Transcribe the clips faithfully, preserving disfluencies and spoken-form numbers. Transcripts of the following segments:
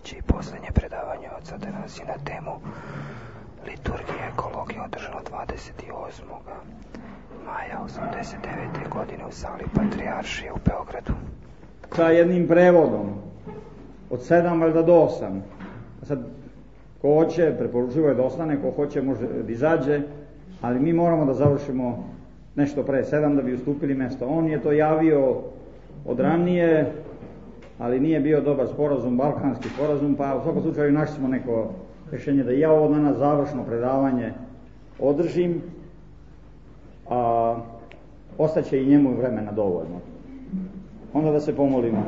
treće i posljednje predavanje od sada nas je na temu liturgije ekologije održano dvadeset osmog maja osamdeset devete godine u sali Patrijaršije u Beogradu. Sa jednim prevodom od sedam valjda do osam. Sad, ko hoće, preporučivo je da ostane, ko hoće može da izađe, ali mi moramo da završimo nešto pre sedam da bi ustupili mesto. On je to javio od ranije, ali nije bio dobar sporazum, balkanski sporazum, pa u svakom slučaju našli smo neko rješenje da ja ovo danas završno predavanje održim, a ostaće i njemu vremena dovoljno. Onda da se pomolimo.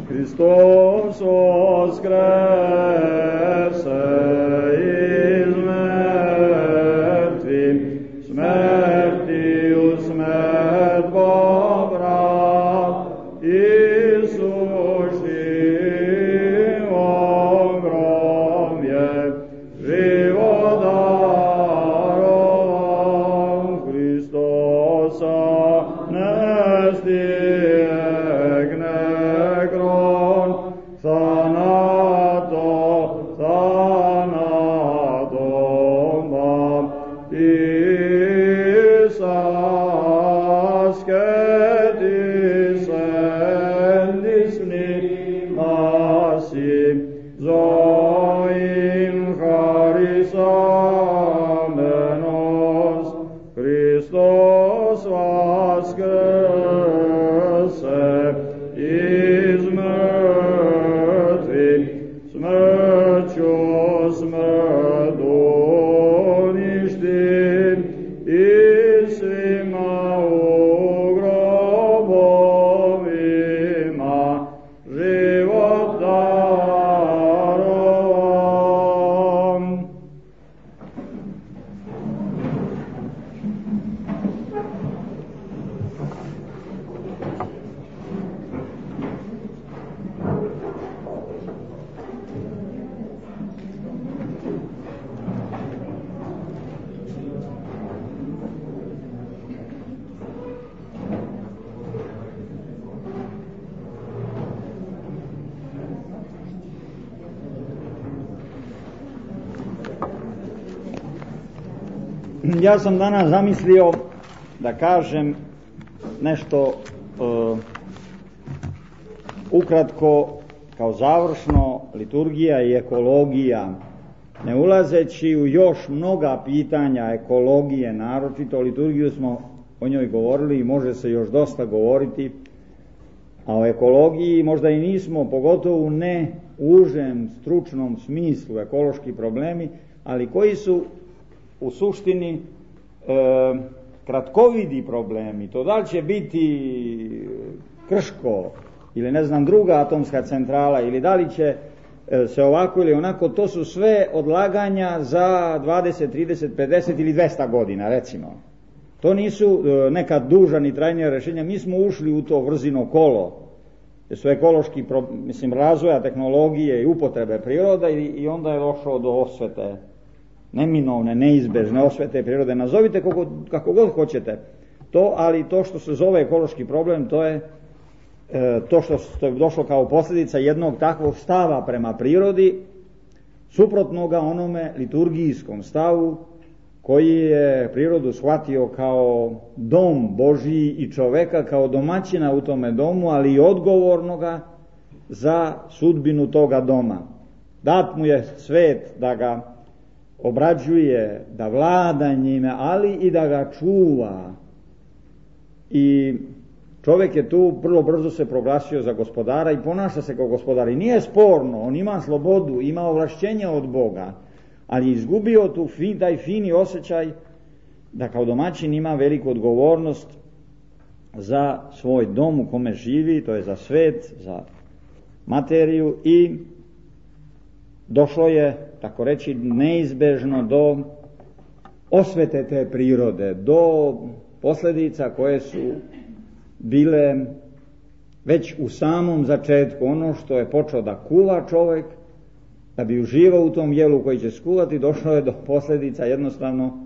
Hristos voskrese iz mrtvih, smrtiju smrt pobra, Isus živom grom je život darovan, Hristosa ne stigne gron, thanato, thanatom baptis ascetis endis nihasi, zoin charis amenos, Christos vaskrese iz mrtvih, smrću smrt uništi i svima u grobovima život darovan. Ja sam danas zamislio da kažem nešto uh, ukratko kao završno liturgija i ekologija, ne ulazeći u još mnoga pitanja ekologije, naročito liturgiju smo o njoj govorili i može se još dosta govoriti, a o ekologiji možda i nismo, pogotovo ne u užem stručnom smislu ekološki problemi, ali koji su u suštini e, kratkovidi problemi. To da li će biti Krško ili ne znam druga atomska centrala ili da li će e, se ovako ili onako, to su sve odlaganja za dvadeset, trideset, pedeset ili dvesta godina recimo. To nisu e, neka duža ni trajnija rješenja. Mi smo ušli u to vrzino kolo, jer su ekološki pro, mislim, razvoja tehnologije i upotrebe priroda i, i onda je došlo do osvete, neminovne, neizbežne osvete prirode, nazovite kako, kako god hoćete to, ali to što se zove ekološki problem, to je e, to što, što je došlo kao posljedica jednog takvog stava prema prirodi, suprotnoga onome liturgijskom stavu koji je prirodu shvatio kao dom Božji i čoveka kao domaćina u tome domu, ali i odgovornoga za sudbinu toga doma. Dat mu je svet da ga obrađuje, da vlada njime, ali i da ga čuva. I čovjek je tu vrlo brzo se proglasio za gospodara i ponaša se kao gospodar. I nije sporno, on ima slobodu, ima ovlašćenje od Boga, ali je izgubio tu fin, taj fini osjećaj da kao domaćin ima veliku odgovornost za svoj dom u kome živi, to je za svet, za materiju, i došlo je, tako reći, neizbežno do osvete te prirode, do posljedica koje su bile već u samom začetku. Ono što je počeo da kuva čovjek, da bi uživao u tom jelu koji će skuvati, došlo je do posljedica jednostavno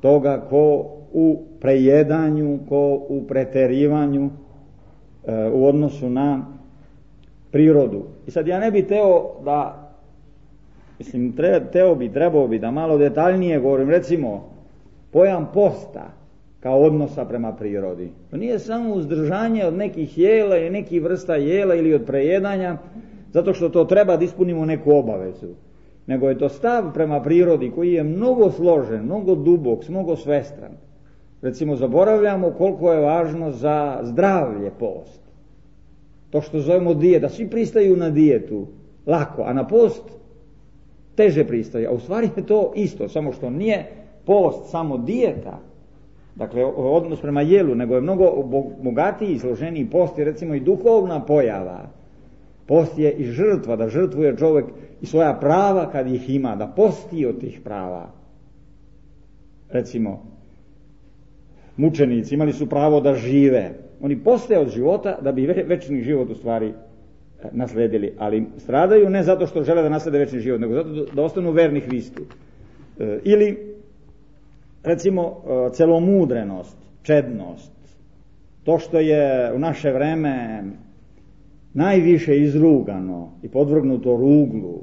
toga ko u prejedanju, ko u preterivanju e, u odnosu na prirodu. I sad ja ne bi teo da, mislim, tre, teo bi, trebao bi da malo detaljnije govorim, recimo, pojam posta kao odnosa prema prirodi. To nije samo uzdržanje od nekih jela ili nekih vrsta jela ili od prejedanja, zato što to treba da ispunimo neku obavezu. Nego je to stav prema prirodi koji je mnogo složen, mnogo dubok, mnogo svestran. Recimo, zaboravljamo koliko je važno za zdravlje post. To što zovemo dijeta, svi pristaju na dijetu lako, a na post teže pristaju. A u stvari je to isto, samo što nije post samo dijeta, dakle odnos prema jelu, nego je mnogo bogatiji i složeniji. Post je recimo i duhovna pojava. Post je i žrtva, da žrtvuje čovjek i svoja prava kad ih ima, da posti od tih prava. Recimo, mučenici imali su pravo da žive. Oni poste od života da bi večni život u stvari nasledili, ali stradaju ne zato što žele da naslede večni život, nego zato da ostanu verni Hristu. E, ili, recimo, celomudrenost, čednost, to što je u naše vreme najviše izrugano i podvrgnuto ruglu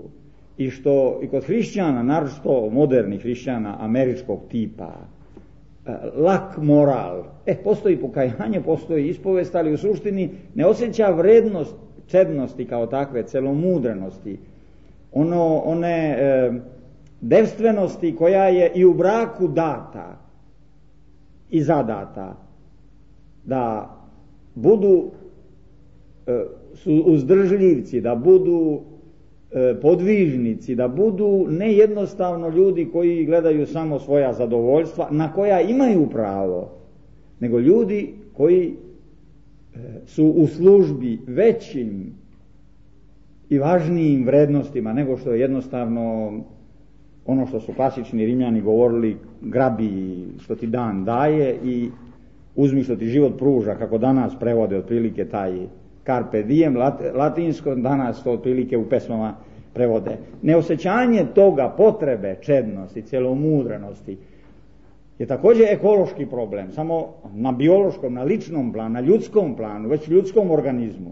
i što i kod hrišćana, naročito modernih hrišćana američkog tipa, lak moral, e, postoji pokajanje, postoji ispovest, ali u suštini ne osjeća vrednost čednosti kao takve, celomudrenosti, ono, one e, devstvenosti koja je i u braku data i zadata, da budu e, su uzdržljivci, da budu e, podvižnici, da budu ne jednostavno ljudi koji gledaju samo svoja zadovoljstva, na koja imaju pravo, nego ljudi koji e, su u službi većim i važnijim vrednostima nego što je jednostavno ono što su klasični Rimljani govorili, grabi što ti dan daje i uzmi što ti život pruža, kako danas prevode otprilike taj carpe diem, latinsko, danas to otprilike u pesmama prevode. Neosjećanje toga, potrebe čednosti, celomudrenosti je također ekološki problem, samo na biološkom, na ličnom planu, na ljudskom planu, već ljudskom organizmu.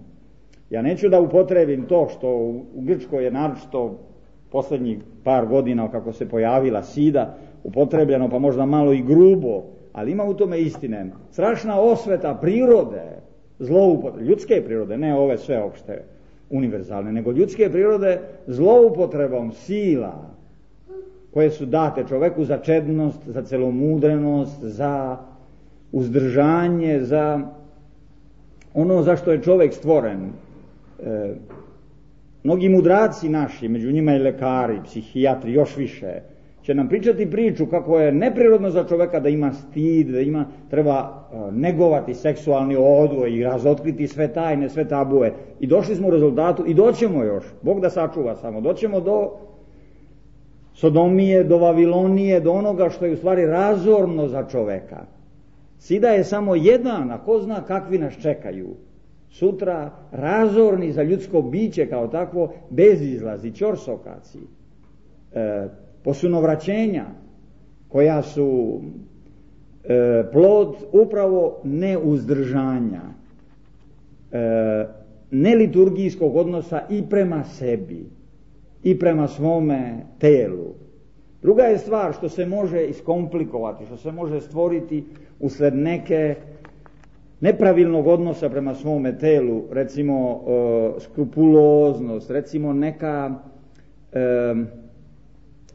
Ja neću da upotrebim to što u Grčkoj je naročito posljednjih par godina kako se pojavila sida, upotrebljeno pa možda malo i grubo, ali ima u tome istine. Strašna osveta prirode, zloupotrebe, ljudske prirode, ne ove sve opšte univerzalne, nego ljudske prirode zloupotrebom sila koje su date čoveku za čednost, za celomudrenost, za uzdržanje, za ono za što je čovjek stvoren. E, mnogi mudraci naši, među njima i lekari, psihijatri, još više, će nam pričati priču kako je neprirodno za čoveka da ima stid, da ima, treba negovati seksualni odgoj i razotkriti sve tajne, sve tabue. I došli smo u rezultatu i doćemo još, Bog da sačuva samo, doćemo do Sodomije, do Vavilonije, do onoga što je u stvari razorno za čoveka. Sida je samo jedan, a ko zna kakvi nas čekaju. Sutra razorni za ljudsko biće kao takvo, bezizlazi, ćorsokaci, e, posunovraćenja koja su e, plod upravo neuzdržanja, e, neliturgijskog odnosa i prema sebi i prema svome telu. Druga je stvar što se može iskomplikovati, što se može stvoriti usled neke nepravilnog odnosa prema svome telu, recimo e, skrupuloznost, recimo neka e,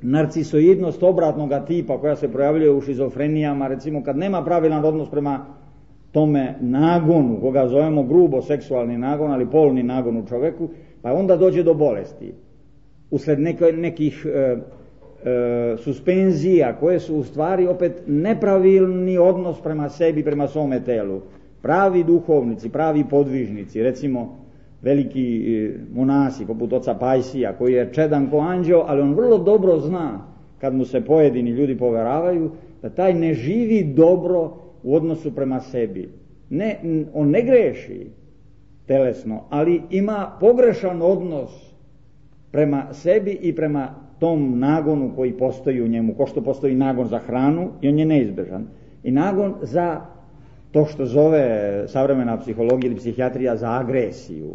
narcisoidnost obratnoga tipa koja se projavljuje u šizofrenijama, recimo kad nema pravilan odnos prema tome nagonu, koga zovemo grubo seksualni nagon, ali polni nagon u čoveku, pa onda dođe do bolesti. Usled neke, nekih e, e, suspenzija koje su u stvari opet nepravilni odnos prema sebi, prema svome telu. Pravi duhovnici, pravi podvižnici, recimo veliki monasi poput oca Pajsija koji je čedan ko anđeo, ali on vrlo dobro zna kad mu se pojedini ljudi poveravaju da taj ne živi dobro u odnosu prema sebi. Ne, on ne greši telesno, ali ima pogrešan odnos prema sebi i prema tom nagonu koji postoji u njemu, ko što postoji nagon za hranu i on je neizbežan. I nagon za to što zove savremena psihologija ili psihijatrija za agresiju.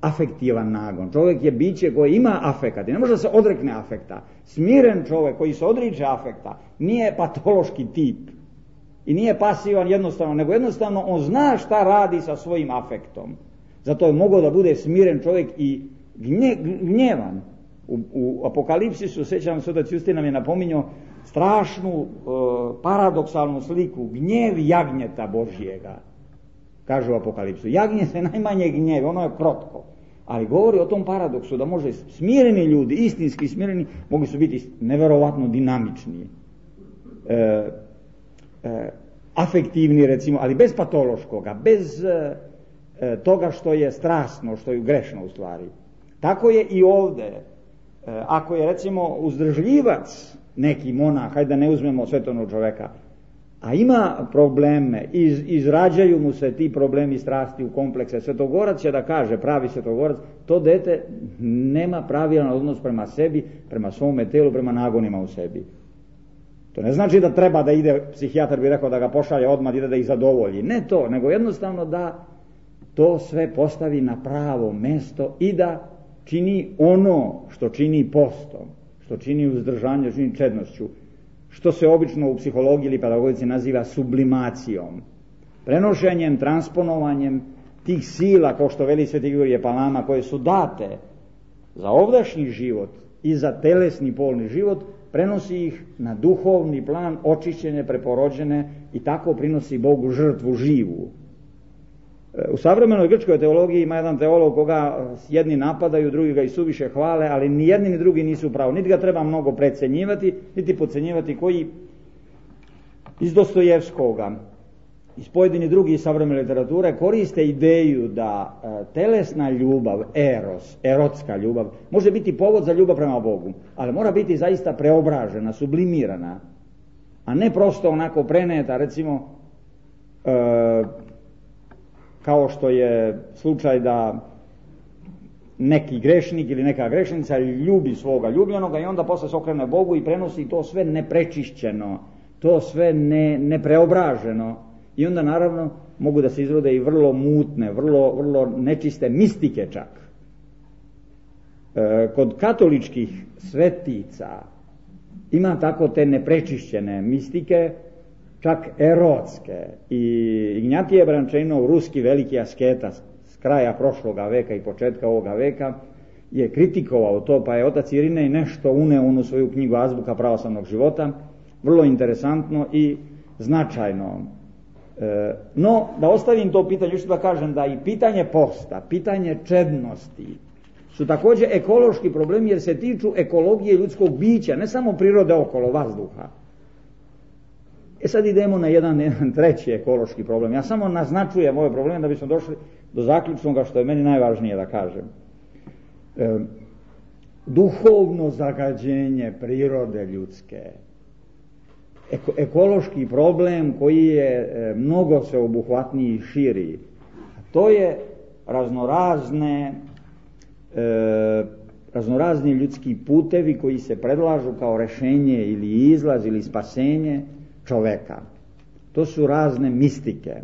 afektivan nagon. Čovjek je biće koje ima afekat i ne može da se odrekne afekta. Smiren čovjek koji se odriče afekta nije patološki tip i nije pasivan jednostavno, nego jednostavno on zna šta radi sa svojim afektom. Zato je mogao da bude smiren čovjek i gnje, gnjevan. U, u Apokalipsisu, sećam se, otac Justin nam je napominjao strašnu, e, paradoksalnu sliku, gnjev jagnjeta Božjega. Kaže u Apokalipsu, jagnje se najmanje gnjevi, ono je krotko. Ali govori o tom paradoksu da može smireni ljudi, istinski smireni, mogli su biti neverovatno dinamični, e, e, afektivni recimo, ali bez patološkoga, bez e, toga što je strasno, što je grešno u stvari. Tako je i ovdje. E, ako je recimo uzdržljivac neki monah, hajde da ne uzmemo svetovnog čoveka, a ima probleme, iz, izrađaju mu se ti problemi strasti u komplekse, svetogorac će da kaže, pravi svetogorac, to dete nema pravilan odnos prema sebi, prema svome telu, prema nagonima u sebi. To ne znači da treba da ide, psihijatar bi rekao da ga pošalje odmah, ide da ih zadovolji. Ne to, nego jednostavno da to sve postavi na pravo mesto i da čini ono što čini postom, što čini uzdržanje, čini čednošću, što se obično u psihologiji ili pedagogici naziva sublimacijom, prenošenjem, transponovanjem tih sila, kao što veli Sveti Grigorije Palama, koje su date za ovdašnji život i za telesni polni život, prenosi ih na duhovni plan, očišćene, preporođene i tako prinosi Bogu žrtvu živu. U savremenoj grčkoj teologiji ima jedan teolog koga jedni napadaju, drugi ga i suviše hvale, ali ni jedni ni drugi nisu pravo. Niti ga treba mnogo precenjivati, niti podcenjivati, koji iz Dostojevskoga, iz pojedini drugi savremene literature koriste ideju da e, telesna ljubav, eros, erotska ljubav, može biti povod za ljubav prema Bogu, ali mora biti zaista preobražena, sublimirana, a ne prosto onako preneta, recimo, e, kao što je slučaj da neki grešnik ili neka grešnica ljubi svoga ljubljenoga i onda posle se okrene Bogu i prenosi to sve neprečišćeno, to sve ne, nepreobraženo i onda naravno mogu da se izrode i vrlo mutne, vrlo, vrlo nečiste mistike čak. E, kod katoličkih svetica ima tako te neprečišćene mistike, čak erotske. I Ignjatije Brančeinov, ruski veliki asketa s kraja prošloga veka i početka ovoga veka, je kritikovao to, pa je otac Irinej nešto uneo u svoju knjigu Azbuka pravoslavnog života, vrlo interesantno i značajno. E, no, da ostavim to pitanje, još da kažem da i pitanje posta, pitanje čednosti su također ekološki problemi jer se tiču ekologije ljudskog bića, ne samo prirode okolo, vazduha. E sad idemo na jedan, jedan treći ekološki problem. Ja samo naznačujem ove probleme da bismo došli do zaključnoga što je meni najvažnije da kažem. E, duhovno zagađenje prirode ljudske. Eko, ekološki problem koji je e, mnogo sveobuhvatniji i širi. To je raznorazne e, raznorazni ljudski putevi koji se predlažu kao rešenje ili izlaz ili spasenje čoveka. To su razne mistike,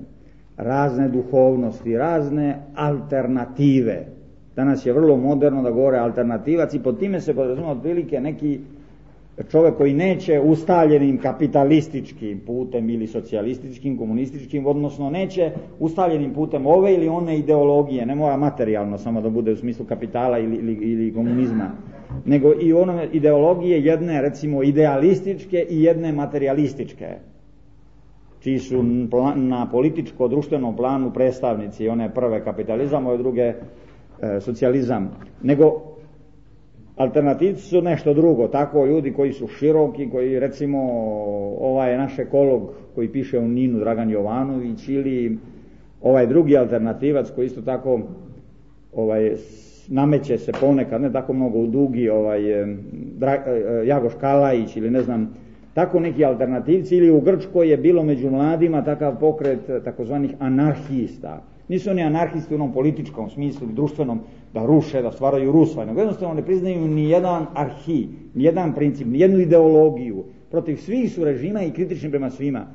razne duhovnosti, razne alternative. Danas je vrlo moderno da govore alternativac i pod time se podrazumeva otprilike neki čovjek koji neće ustaljenim kapitalističkim putem ili socijalističkim, komunističkim, odnosno neće ustaljenim putem ove ili one ideologije, ne mora materijalno samo da bude u smislu kapitala ili, ili, ili komunizma, nego i one ideologije jedne recimo idealističke i jedne materialističke, čiji su na političko-društvenom planu predstavnici one prve kapitalizam, ove druge e, socijalizam, nego alternativci su nešto drugo, tako ljudi koji su široki, koji recimo ovaj naš ekolog koji piše u Ninu, Dragan Jovanović, ili ovaj drugi alternativac koji isto tako ovaj nameće se ponekad, ne tako mnogo u dugi, ovaj Dra, Jagoš Kalajić ili ne znam, tako neki alternativci, ili u Grčkoj je bilo među mladima takav pokret takozvanih anarhista. Nisu oni anarhisti u onom političkom smislu, društvenom, da ruše, da stvaraju rusvaj, nego jednostavno ne priznaju ni jedan arhi, ni jedan princip, ni jednu ideologiju. Protiv svih su režima i kritični prema svima.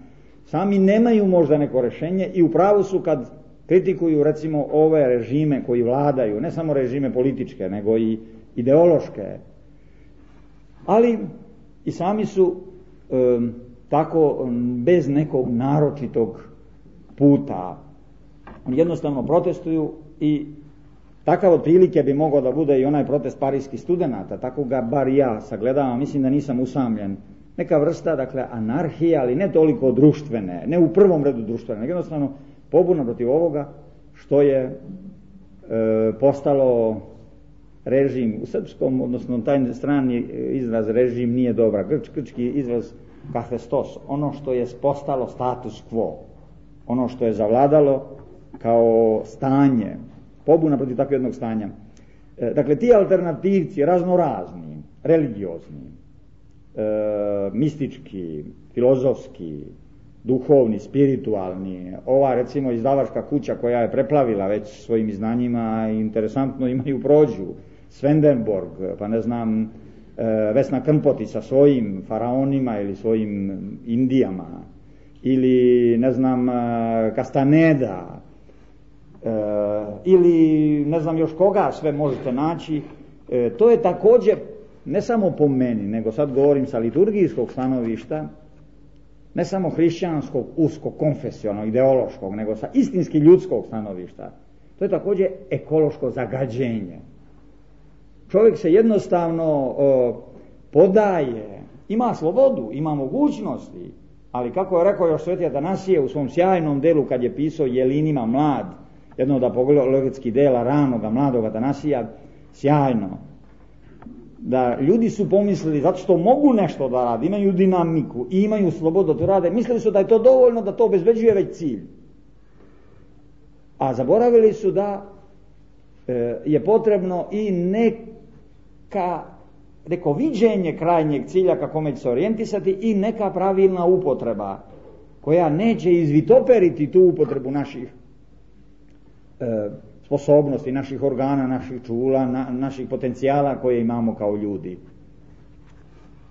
Sami nemaju možda neko rešenje i u pravu su kad kritikuju recimo ove režime koji vladaju, ne samo režime političke, nego i ideološke, ali i sami su e, tako bez nekog naročitog puta. Jednostavno protestuju i takav otprilike bi mogao da bude i onaj protest parijskih studenata, tako ga bar ja sagledavam, mislim da nisam usamljen. Neka vrsta, dakle, anarhije, ali ne toliko društvene, ne u prvom redu društvene, nego jednostavno pobuna protiv ovoga što je e, postalo režim u srpskom, odnosno taj strani izraz režim nije dobra, grč, grčki izraz kahestos, ono što je postalo status quo, ono što je zavladalo kao stanje, pobuna protiv takvog jednog stanja. E, dakle, ti alternativci, raznorazni, religiozni, e, mistički, filozofski, duhovni, spiritualni, ova recimo izdavačka kuća koja je preplavila već svojim znanjima i interesantno imaju prođu, Svendenborg, pa ne znam, e, Vesna Krmpoti sa svojim faraonima ili svojim Indijama, ili ne znam, Castaneda, e, ili ne znam još koga sve možete naći. E, to je također, ne samo po meni, nego sad govorim sa liturgijskog stanovišta, ne samo hrišćanskog, uskog, konfesionalnog, ideološkog, nego sa istinski ljudskog stanovišta. To je također ekološko zagađenje. Čovjek se jednostavno o, podaje, ima slobodu, ima mogućnosti, ali kako je rekao još Sveti Atanasije u svom sjajnom delu kad je pisao Jelinima mlad, jedno od apologetskih dela ranoga, mladog Atanasija, sjajno, da ljudi su pomislili, zato što mogu nešto da rade, imaju dinamiku i imaju slobodu da to rade, mislili su da je to dovoljno, da to obezbeđuje već cilj. A zaboravili su da e, je potrebno i neka, neko viđenje krajnjeg cilja kako će se orijentisati i neka pravilna upotreba koja neće izvitoperiti tu upotrebu naših e, sposobnosti, naših organa, naših čula, na, naših potencijala koje imamo kao ljudi.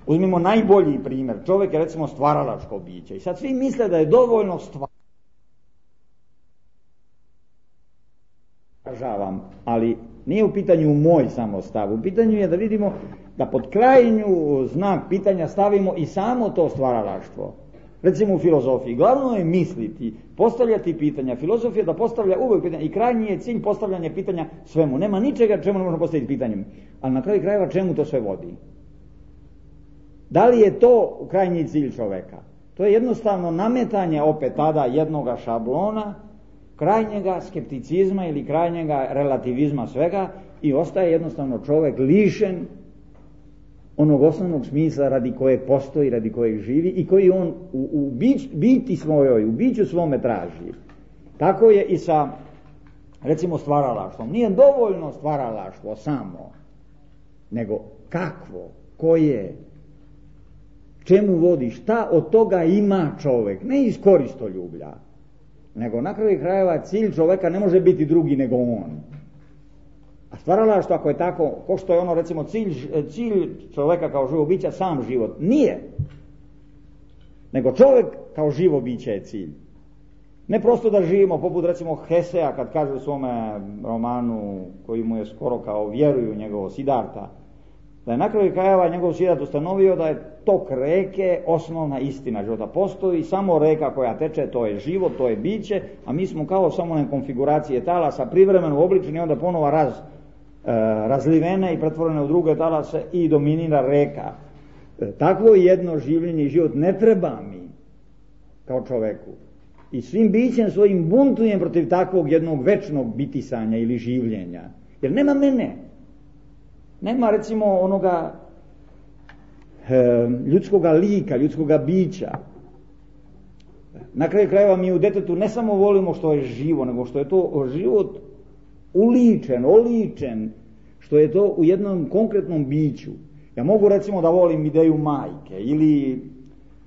Uzmimo najbolji primjer. Čovjek je recimo stvaralačko biće i sad svi misle da je dovoljno stvar. Ali nije u pitanju moj samo stav, u pitanju je da vidimo da pod krajnju znak pitanja stavimo i samo to stvaralaštvo. Recimo u filozofiji, glavno je misliti, postavljati pitanja. Filozofija da postavlja uvijek pitanja i krajnji je cilj postavljanje pitanja svemu. Nema ničega čemu ne možemo postaviti pitanjem, ali na kraju krajeva čemu to sve vodi? Da li je to krajnji cilj čoveka? To je jednostavno nametanje opet tada jednoga šablona, krajnjega skepticizma ili krajnjega relativizma svega i ostaje jednostavno čovek lišen onog osnovnog smisla radi kojeg postoji, radi kojeg živi i koji on u, u bić, biti svojoj, u biću svome traži. Tako je i sa, recimo, stvaralaštvom. Nije dovoljno stvaralaštvo samo, nego kakvo, koje, čemu vodi, šta od toga ima čovek, ne iz koristoljublja, nego na kraju krajeva cilj čoveka ne može biti drugi nego on. A stvaralaštvo, ako je tako, ko što je ono recimo cilj, cilj čoveka kao živo bića, sam život, nije. Nego čovjek kao živo biće je cilj. Ne prosto da živimo, poput recimo Hesea kad kaže u svome romanu, koji mu je skoro kao vjeruju njegovo Siddharta, da je na kraju krajeva njegov Siddhart ustanovio da je tok reke osnovna istina života. Postoji samo reka koja teče, to je život, to je biće, a mi smo kao samo na konfiguracije talasa privremeno obličeni, onda ponovo raz, e, razlivene i pretvorene u druge talase i dominira reka. E, takvo jedno življenje i život ne treba mi kao čoveku. I svim bićem svojim buntujem protiv takvog jednog večnog bitisanja ili življenja. Jer nema mene. Nema recimo onoga e, ljudskoga lika, ljudskoga bića. Na kraju krajeva mi u detetu ne samo volimo što je živo, nego što je to život uličen, oličen, što je to u jednom konkretnom biću. Ja mogu recimo da volim ideju majke ili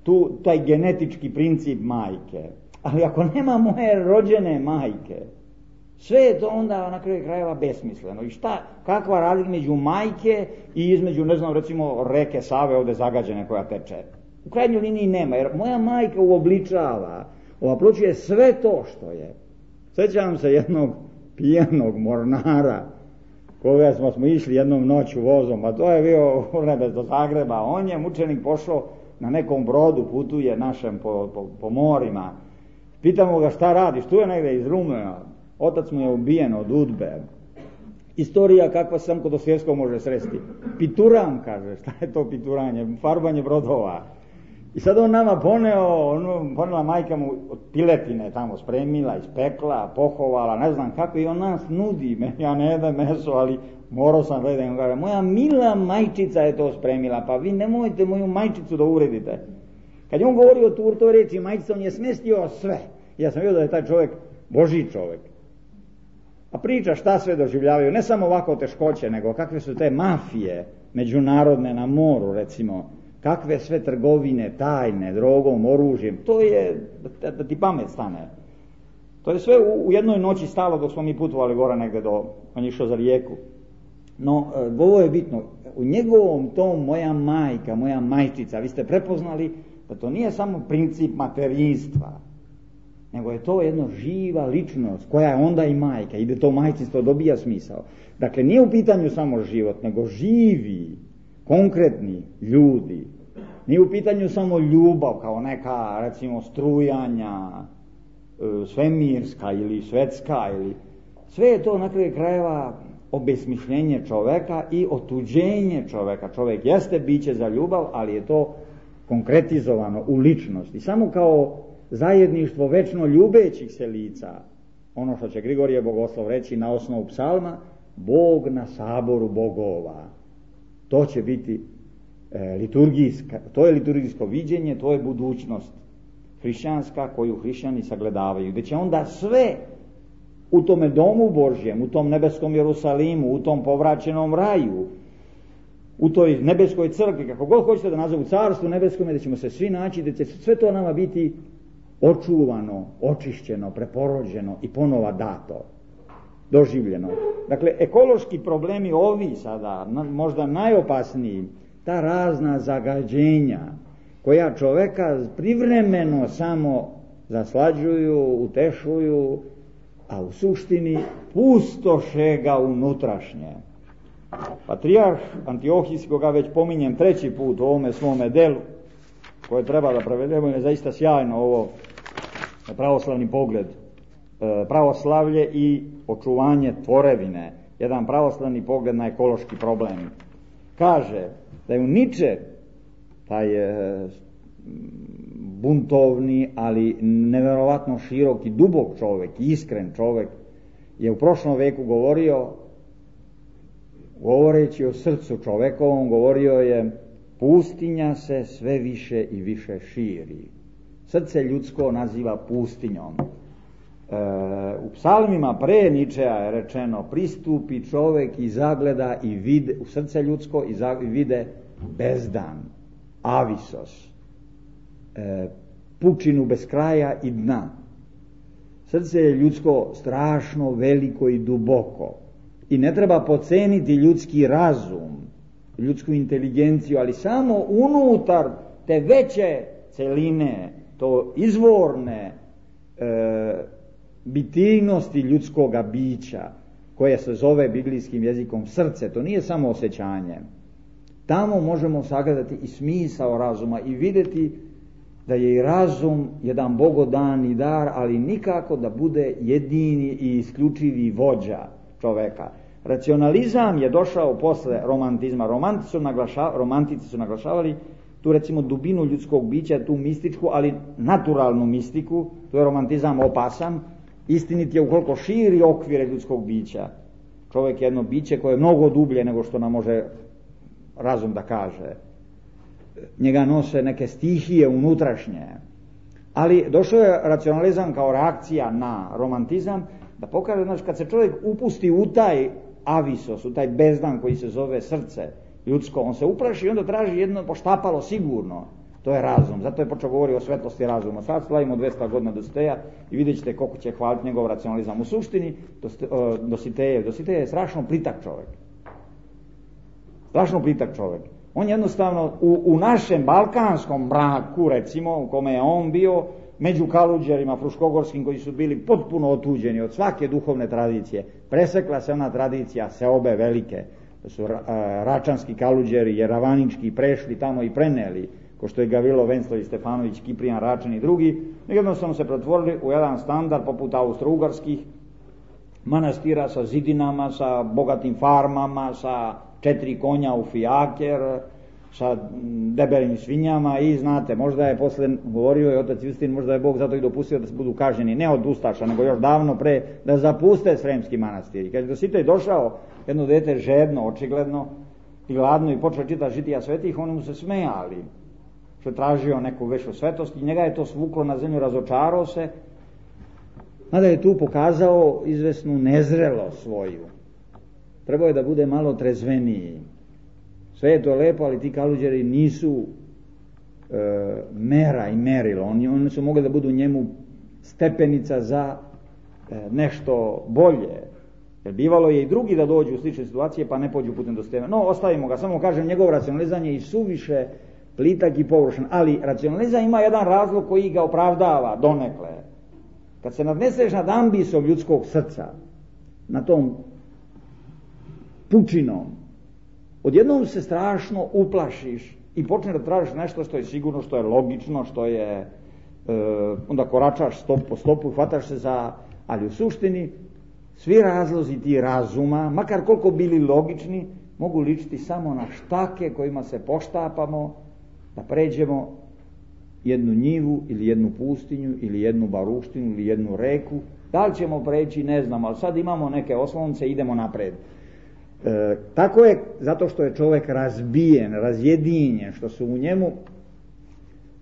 tu, taj genetički princip majke, ali ako nema moje rođene majke, sve je to onda na kraju krajeva besmisleno. I šta, kakva razlika među majke i između, ne znam, recimo reke Save ovdje zagađene koja teče? U krajnjoj liniji nema, jer moja majka uobličava, ovapročuje sve to što je. Sjećam se jednog pijenog mornara, koga smo, smo išli jednom noću vozom, a to je bio Urnebes do Zagreba. On je, mučenik, pošao na nekom brodu, putuje našem po, po, po morima. Pitamo ga šta radiš, tu je negdje iz Rume, otac mu je ubijen od udbe. Istorija kakva sam kod Dostojevskog može sresti. Pituram, kaže, šta je to pituranje, farbanje brodova. I sad on nama poneo, ono, ponela majka mu od piletine tamo spremila, ispekla, pohovala, ne znam kako, i on nas nudi, ja ne jedem meso, ali morao sam gledati, on kaže, moja mila majčica je to spremila, pa vi nemojte moju majčicu da uvredite. Kad je on govorio o toj reči majčica, on je smestio sve. Ja sam vidio da je taj čovjek Božji čovjek. A priča šta sve doživljavaju, ne samo ovako teškoće, nego kakve su te mafije međunarodne na moru, recimo, kakve sve trgovine, tajne, drogom, oružjem, to je, da, da ti pamet stane. To je sve u, u jednoj noći stalo dok smo mi putovali gore negdje do, on je išao za Rijeku. No, ovo je bitno, u njegovom tom moja majka, moja majčica, vi ste prepoznali da to nije samo princip materinstva, nego je to jedna živa ličnost koja je onda i majka, ide to majčinstvo, dobija smisao. Dakle, nije u pitanju samo život, nego živi, konkretni ljudi. Nije u pitanju samo ljubav kao neka, recimo, strujanja, svemirska ili svetska, ili sve je to na kraju krajeva obesmišljenje čoveka i otuđenje čoveka. Čovek jeste biće za ljubav, ali je to konkretizovano u ličnosti. Samo kao zajedništvo večno ljubećih se lica, ono što će Grigorije Bogoslov reći na osnovu psalma, Bog na saboru bogova. To će biti e, liturgijska, to je liturgijsko viđenje, to je budućnost hrišćanska koju hrišćani sagledavaju, gdje će onda sve u tome domu Božjem, u tom nebeskom Jerusalimu, u tom povraćenom raju, u toj nebeskoj crkvi, kako god hoćete da nazovu, carstvu nebeskom, da ćemo se svi naći, da će sve to nama biti očuvano, očišćeno, preporođeno i ponova dato, doživljeno. Dakle, ekološki problemi ovi sada, možda najopasniji, ta razna zagađenja koja čoveka privremeno samo zaslađuju, utešuju, a u suštini pustoše ga unutrašnje. Patrijarh Antiohijski, koga već pominjem treći put u ovome svome delu, koje treba da prevedemo, je zaista sjajno ovo pravoslavni pogled, pravoslavlje i očuvanje tvorevine, jedan pravoslavni pogled na ekološki problem. Kaže da je u Niče taj buntovni, ali neverovatno širok i dubok čovjek, iskren čovjek, je u prošlom veku govorio, govoreći o srcu čovekovom, govorio je: pustinja se sve više i više širi. Srce ljudsko naziva pustinjom. E, u psalmima pre Ničea je rečeno: pristupi čovjek i zagleda i vide, u srce ljudsko i, za, i vide bezdan, avisos, e, pučinu bez kraja i dna. Srce je ljudsko strašno veliko i duboko i ne treba podceniti ljudski razum, ljudsku inteligenciju, ali samo unutar te veće celine, to izvorne e, bitivnosti ljudskoga bića, koje se zove biblijskim jezikom srce, to nije samo osjećanje. Tamo možemo sagledati i smisao razuma i vidjeti da je i razum jedan bogodani dar, ali nikako da bude jedini i isključivi vođa čoveka. Racionalizam je došao posle romantizma. Romantici su, naglaša, romantici su naglašavali tu, recimo, dubinu ljudskog bića, tu mističku, ali naturalnu mistiku. Tu je romantizam opasan. Istinit je ukoliko širi okvire ljudskog bića. Čovjek je jedno biće koje je mnogo dublje nego što nam može razum da kaže. Njega nose neke stihije unutrašnje. Ali došao je racionalizam kao reakcija na romantizam, da pokaže, znači, kad se čovjek upusti u taj avisos, u taj bezdan koji se zove srce ljudsko, on se uplaši i onda traži jedno poštapalo sigurno. To je razum. Zato je počeo govoriti o svetlosti razuma. Sad slavimo dvesta godina Dositeja i vidjet ćete koliko će hvaliti njegov racionalizam. U suštini Dositejev, Dositejev je strašno plitak čovjek. Strašno plitak čovjek. On jednostavno u, u našem balkanskom mraku, recimo, u kome je on bio, među kaluđerima fruškogorskim koji su bili potpuno otuđeni od svake duhovne tradicije. Presekla se ona tradicija seobe velike, da su račanski kaluđeri, jeravanički prešli tamo i preneli, ko što je Gavilo Venclović, Stefanović, Kiprijan Račan i drugi, jednostavno se pretvorili u jedan standard poput austrougarskih manastira sa zidinama, sa bogatim farmama, sa četiri konja u fijaker, sa debelim svinjama i znate, možda je posle govorio je otac Justin, možda je Bog zato i dopustio da se budu kažnjeni, ne od ustaša, nego još davno pre, da zapuste Sremski manastir. I kad je do sita došao jedno dete žedno, očigledno, i gladno i počeo čitati žitija svetih, oni mu se smejali, što je tražio neku veću svetost i njega je to svuklo na zemlju, razočarao se, mada je tu pokazao izvesnu nezrelost svoju. Trebao je da bude malo trezveniji. Sve je to lepo, ali ti kaluđeri nisu e, mera i merilo. Oni, oni su mogli da budu njemu stepenica za e, nešto bolje. Jer bivalo je i drugi da dođu u slične situacije, pa ne pođu putem do stene. No, ostavimo ga, samo kažem, njegov racionalizam je i suviše plitak i površan. Ali racionalizam ima jedan razlog koji ga opravdava donekle. Kad se nadneseš nad ambisom ljudskog srca, na tom pučinom, odjednom se strašno uplašiš i počneš da tražiš nešto što je sigurno, što je logično, što je, e, onda koračaš stop po stopu, hvataš se za, ali u suštini svi razlozi ti razuma, makar koliko bili logični, mogu ličiti samo na štake kojima se poštapamo da pređemo jednu njivu ili jednu pustinju ili jednu baruštinu ili jednu reku. Da li ćemo preći, ne znam, ali sad imamo neke oslonce i idemo napred. E, tako je, zato što je čovjek razbijen, razjedinjen, što su u njemu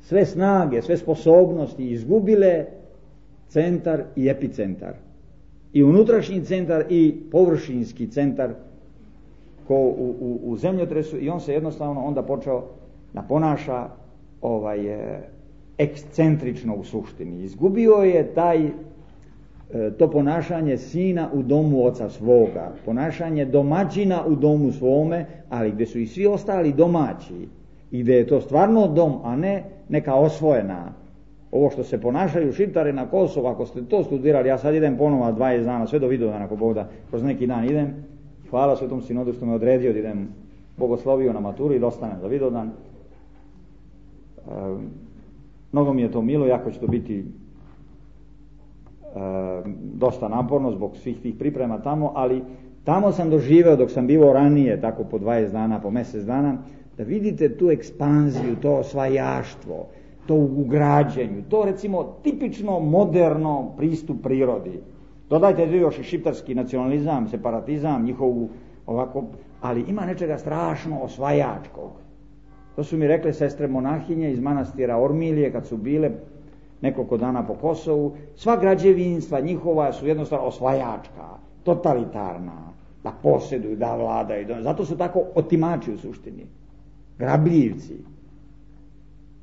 sve snage, sve sposobnosti izgubile centar i epicentar. I unutrašnji centar i površinski centar ko u, u, u zemljotresu, i on se jednostavno onda počeo da ponaša ovaj, ekscentrično u suštini. Izgubio je taj to ponašanje sina u domu oca svoga, ponašanje domaćina u domu svome, ali gdje su i svi ostali domaći i gdje je to stvarno dom, a ne neka osvojena. Ovo što se ponašaju Šiptari na Kosovu, ako ste to studirali, ja sad idem ponovo dvadeset dana, sve do Vidovdana, ako Bog da, kroz neki dan idem, hvala Svetom Sinodu što me odredio da idem bogoslovio na maturu i da ostanem za Vidovdan. E, mnogo mi je to milo, jako će to biti E, dosta naporno zbog svih tih priprema tamo, ali tamo sam doživeo dok sam bivao ranije, tako po dvadeset dana, po mjesec dana, da vidite tu ekspanziju, to osvajaštvo, to ugrađenju, to recimo tipično moderno pristup prirodi. Dodajte još i šiptarski nacionalizam, separatizam, njihovu ovako, ali ima nečega strašno osvajačkog. To su mi rekle sestre monahinje iz manastira Ormilije kad su bile nekoliko dana po Kosovu. Sva građevinstva njihova su jednostavno osvajačka, totalitarna, da posjeduju, da vladaju. Zato su tako otimači u suštini, grabljivci.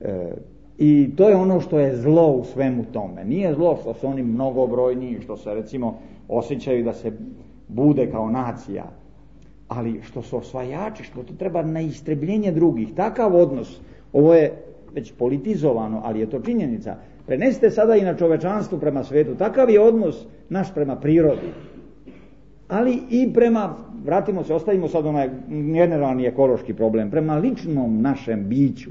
E, I to je ono što je zlo u svemu tome. Nije zlo što su oni mnogobrojni, što se recimo osjećaju da se bude kao nacija, ali što su osvajači, što to treba na istrebljenje drugih. Takav odnos, ovo je već politizovano, ali je to činjenica. Prenesite sada i na čovečanstvu prema svetu. Takav je odnos naš prema prirodi. Ali i prema, vratimo se, ostavimo sad onaj generalni ekološki problem, prema ličnom našem biću.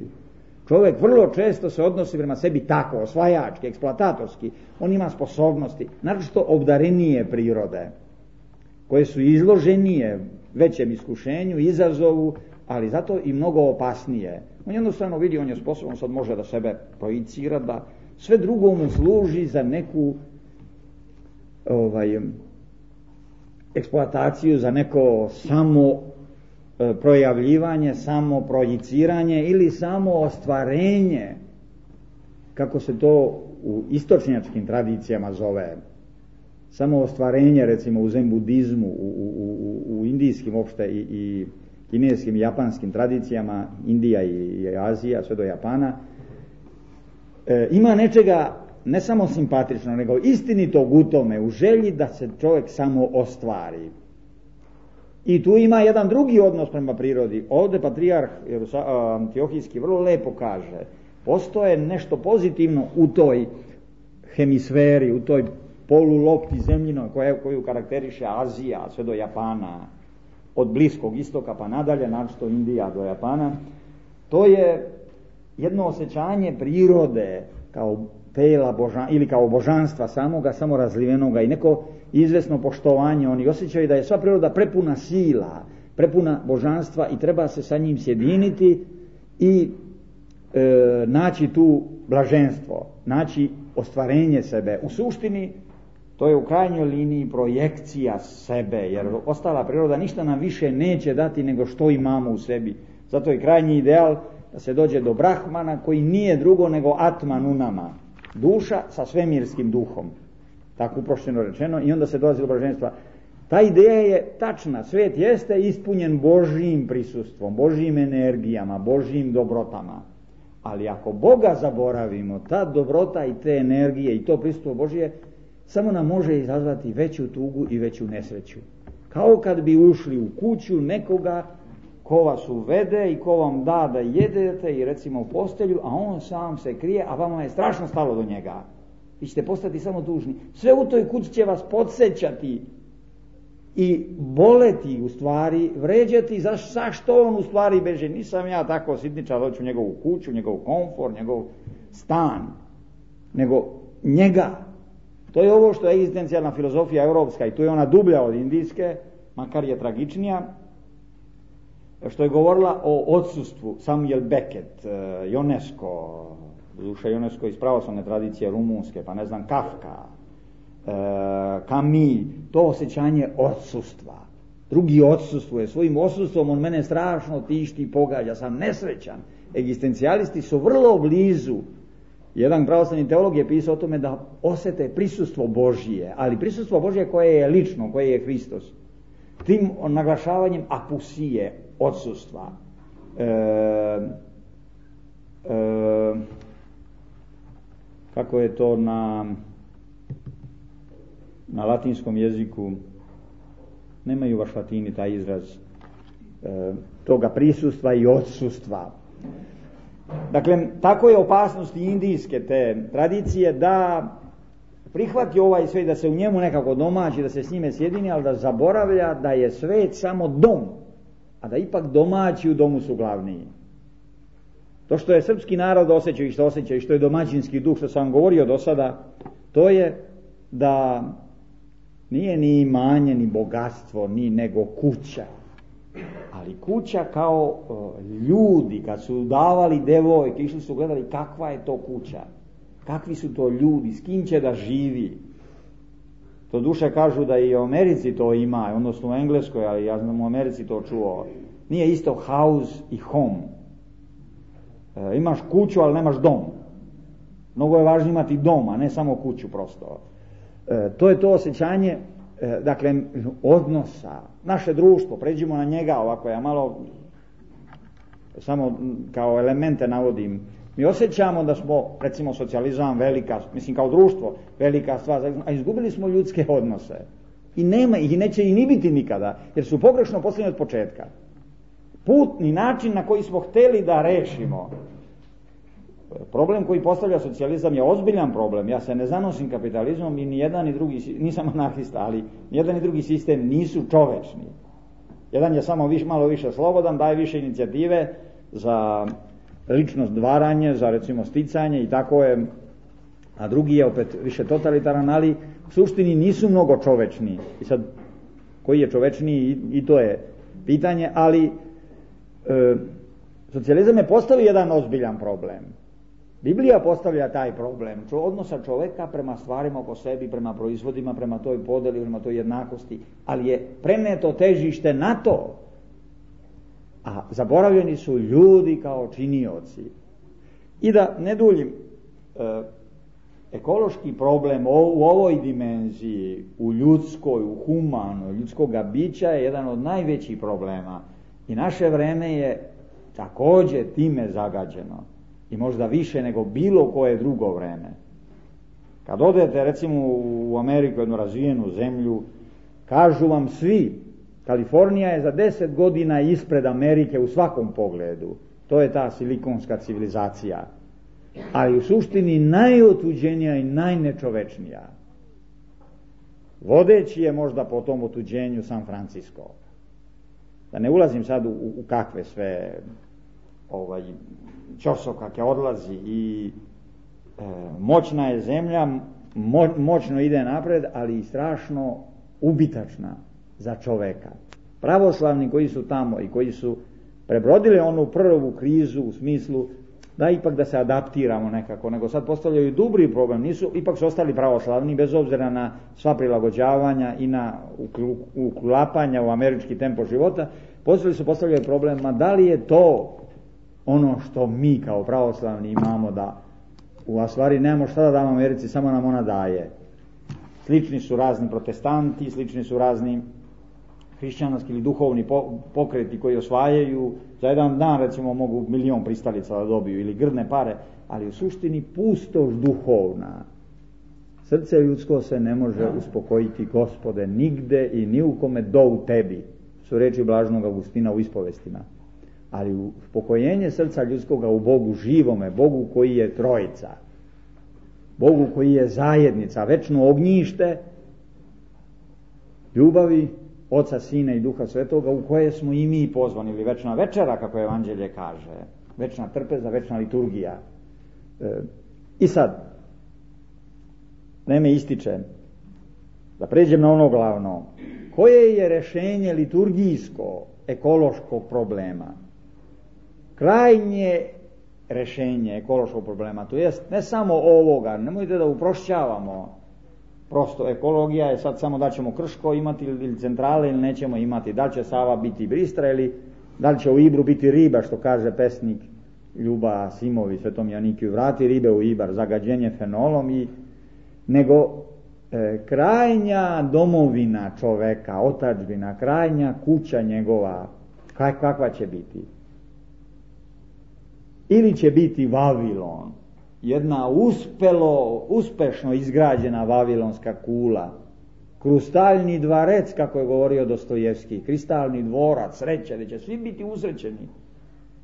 Čovjek vrlo često se odnosi prema sebi tako, osvajački, eksploatatorski. On ima sposobnosti, naročito obdarenije prirode, koje su izloženije većem iskušenju, izazovu, ali zato i mnogo opasnije. On jednostavno vidi, on je sposoban, sad može da sebe projicira, da sve drugo mu služi za neku ovaj, eksploataciju, za neko samo e, projavljivanje, samo projiciranje ili samo ostvarenje, kako se to u istočnjačkim tradicijama zove. Samo ostvarenje, recimo u zen budizmu, u, u, u, u indijskim opšte i, i kineskim i japanskim tradicijama, Indija i, i Azija, sve do Japana, e, ima nečega ne samo simpatično, nego istinitog u tome, u želji da se čovjek samo ostvari. I tu ima jedan drugi odnos prema prirodi. Ovdje patrijarh Antiohijski vrlo lepo kaže, postoje nešto pozitivno u toj hemisferi, u toj polulopti zemljinoj koja, koju karakteriše Azija sve do Japana, od Bliskog istoka pa nadalje, naročito Indija do Japana, to je jedno osjećanje prirode kao tela božan, ili kao božanstva samoga, samo razlivenoga i neko izvesno poštovanje. Oni osjećaju da je sva priroda prepuna sila, prepuna božanstva i treba se sa njim sjediniti i e, naći tu blaženstvo, naći ostvarenje sebe. U suštini to je u krajnjoj liniji projekcija sebe, jer ostala priroda ništa nam više neće dati nego što imamo u sebi. Zato je krajnji ideal da se dođe do Brahmana koji nije drugo nego Atman u nama, duša sa svemirskim duhom, tako uprošćeno rečeno, i onda se dolazi do blaženstva. Ta ideja je tačna, svijet jeste ispunjen Božjim prisustvom, Božjim energijama, Božjim dobrotama, ali ako Boga zaboravimo, ta dobrota i te energije i to prisustvo Božje samo nam može izazvati veću tugu i veću nesreću. Kao kad bi ušli u kuću nekoga ko vas uvede i ko vam da da jedete i recimo u postelju, a on sam se krije, a vama je strašno stalo do njega. Vi ćete postati samo dužni. Sve u toj kući će vas podsjećati i boleti, u stvari, vređati za što on u stvari beže. Nisam ja tako sitničar, hoću njegovu kuću, njegov komfor, njegov stan, nego njega. To je ovo što je egzistencijalna filozofija europska i tu je ona dublja od indijske, makar je tragičnija, što je govorila o odsustvu. Samuel Beckett, Ionesco, duša Ionesco iz pravoslavne tradicije rumunske, pa ne znam, Kafka, Camus, to osjećanje odsustva. Drugi odsustvuje, svojim odsustvom on mene strašno tišti i pogađa, sam nesrećan. Egzistencijalisti su vrlo blizu. Jedan pravoslavni teolog je pisao o tome da osjete prisustvo Božije, ali prisustvo Božije koje je lično, koje je Hristos. Tim naglašavanjem apusije, odsustva. E, e, kako je to na, na latinskom jeziku, nemaju baš latini taj izraz e, toga prisustva i odsustva. Dakle, tako je opasnost indijske te tradicije da prihvati ovaj svijet, da se u njemu nekako domaći, da se s njime sjedini, ali da zaboravlja da je svijet samo dom, a da ipak domaći u domu su glavniji. To što je srpski narod osjeća i što osjeća i što je domaćinski duh, što sam vam govorio do sada, to je da nije ni imanje, ni bogatstvo, ni nego kuća. Ali kuća kao ljudi, kad su davali devojke, išli su gledali kakva je to kuća, kakvi su to ljudi, s kim će da živi. To duše kažu da i u Americi to ima, odnosno u Engleskoj, ali ja znam u Americi to čuo. Nije isto house i home. E, imaš kuću, ali nemaš dom. Mnogo je važno imati dom, a ne samo kuću prosto. E, to je to osjećanje, e, dakle, odnosa. Naše društvo, pređimo na njega, ovako ja malo samo kao elemente navodim. Mi osjećamo da smo, recimo, socijalizam velika, mislim kao društvo, velika stvar, a izgubili smo ljudske odnose. I nema ih i neće ih ni biti nikada, jer su pogrešno postavljeni od početka. Putni način na koji smo hteli da rešimo problem koji postavlja socijalizam je ozbiljan problem. Ja se ne zanosim kapitalizmom i ni jedan ni drugi, nisam anarhista, ali ni jedan ni drugi sistem nisu čovečni. Jedan je samo viš, malo više slobodan, daje više inicijative za lično stvaranje, za recimo sticanje i tako je, a drugi je opet više totalitaran, ali u suštini nisu mnogo čovečni. I sad, koji je čovečniji, i, i to je pitanje, ali e, socijalizam je postavio jedan ozbiljan problem. Biblija postavlja taj problem, odnosa čoveka prema stvarima oko sebi, prema proizvodima, prema toj podeli, prema toj jednakosti, ali je preneto težište na to, a zaboravljeni su ljudi kao činioci. I da ne duljim, e, ekološki problem u ovoj dimenziji, u ljudskoj, u humanoj, ljudskoga bića je jedan od najvećih problema. I naše vreme je također time zagađeno. I možda više nego bilo koje drugo vreme. Kad odete recimo u Ameriku, jednu razvijenu zemlju, kažu vam svi, Kalifornija je za deset godina ispred Amerike u svakom pogledu. To je ta silikonska civilizacija. ali u suštini najotuđenija i najnečovečnija. Vodeći je možda po tom otuđenju San Francisco. Da ne ulazim sad u, u kakve sve ovaj, ćosokake odlazi i e, moćna je zemlja, mo, moćno ide napred, ali i strašno ubitačna za čoveka. Pravoslavni koji su tamo i koji su prebrodili onu prvu krizu u smislu da ipak da se adaptiramo nekako, nego sad postavljaju dubri problem, nisu, ipak su ostali pravoslavni bez obzira na sva prilagođavanja i na uklapanja u američki tempo života, postavili su postavljaju problem, ma da li je to ono što mi kao pravoslavni imamo da u stvari nemamo šta da damo Americi, samo nam ona daje. Slični su razni protestanti, slični su razni hrišćanski ili duhovni pokreti koji osvajaju, za jedan dan recimo mogu milion pristalica da dobiju ili grdne pare, ali u suštini pustoš duhovna. Srce ljudsko se ne može uspokojiti, Gospode, nigde i ni u kome do u tebi, su reči blaženog Augustina u ispovestima. Ali uspokojenje srca ljudskoga u Bogu živome, Bogu koji je trojica, Bogu koji je zajednica, večno ognjište ljubavi Oca, Sina i Duha Svetoga, u koje smo i mi pozvani, ili večna večera, kako Evanđelje kaže, večna trpeza, večna liturgija. E, I sad, vreme ističe, da pređem na ono glavno. Koje je rešenje liturgijsko, ekološkog problema? Krajnje rešenje ekološkog problema, to jest ne samo ovoga, nemojte da uprošćavamo. Prosto ekologija je sad samo da ćemo Krško imati ili centrale ili nećemo imati, da li će Sava biti Bistra ili da li će u Ibru biti riba, što kaže pesnik Ljuba Simovi, Svetom Janikiju, vrati ribe u Ibar, zagađenje fenolom, i nego e, krajnja domovina čoveka, otadžbina, krajnja kuća njegova, kak, kakva će biti? Ili će biti Vavilon, jedna uspelo, uspešno izgrađena vavilonska kula, krustaljni dvarec, kako je govorio Dostojevski, kristalni dvorac, sreće, da će svi biti usrećeni.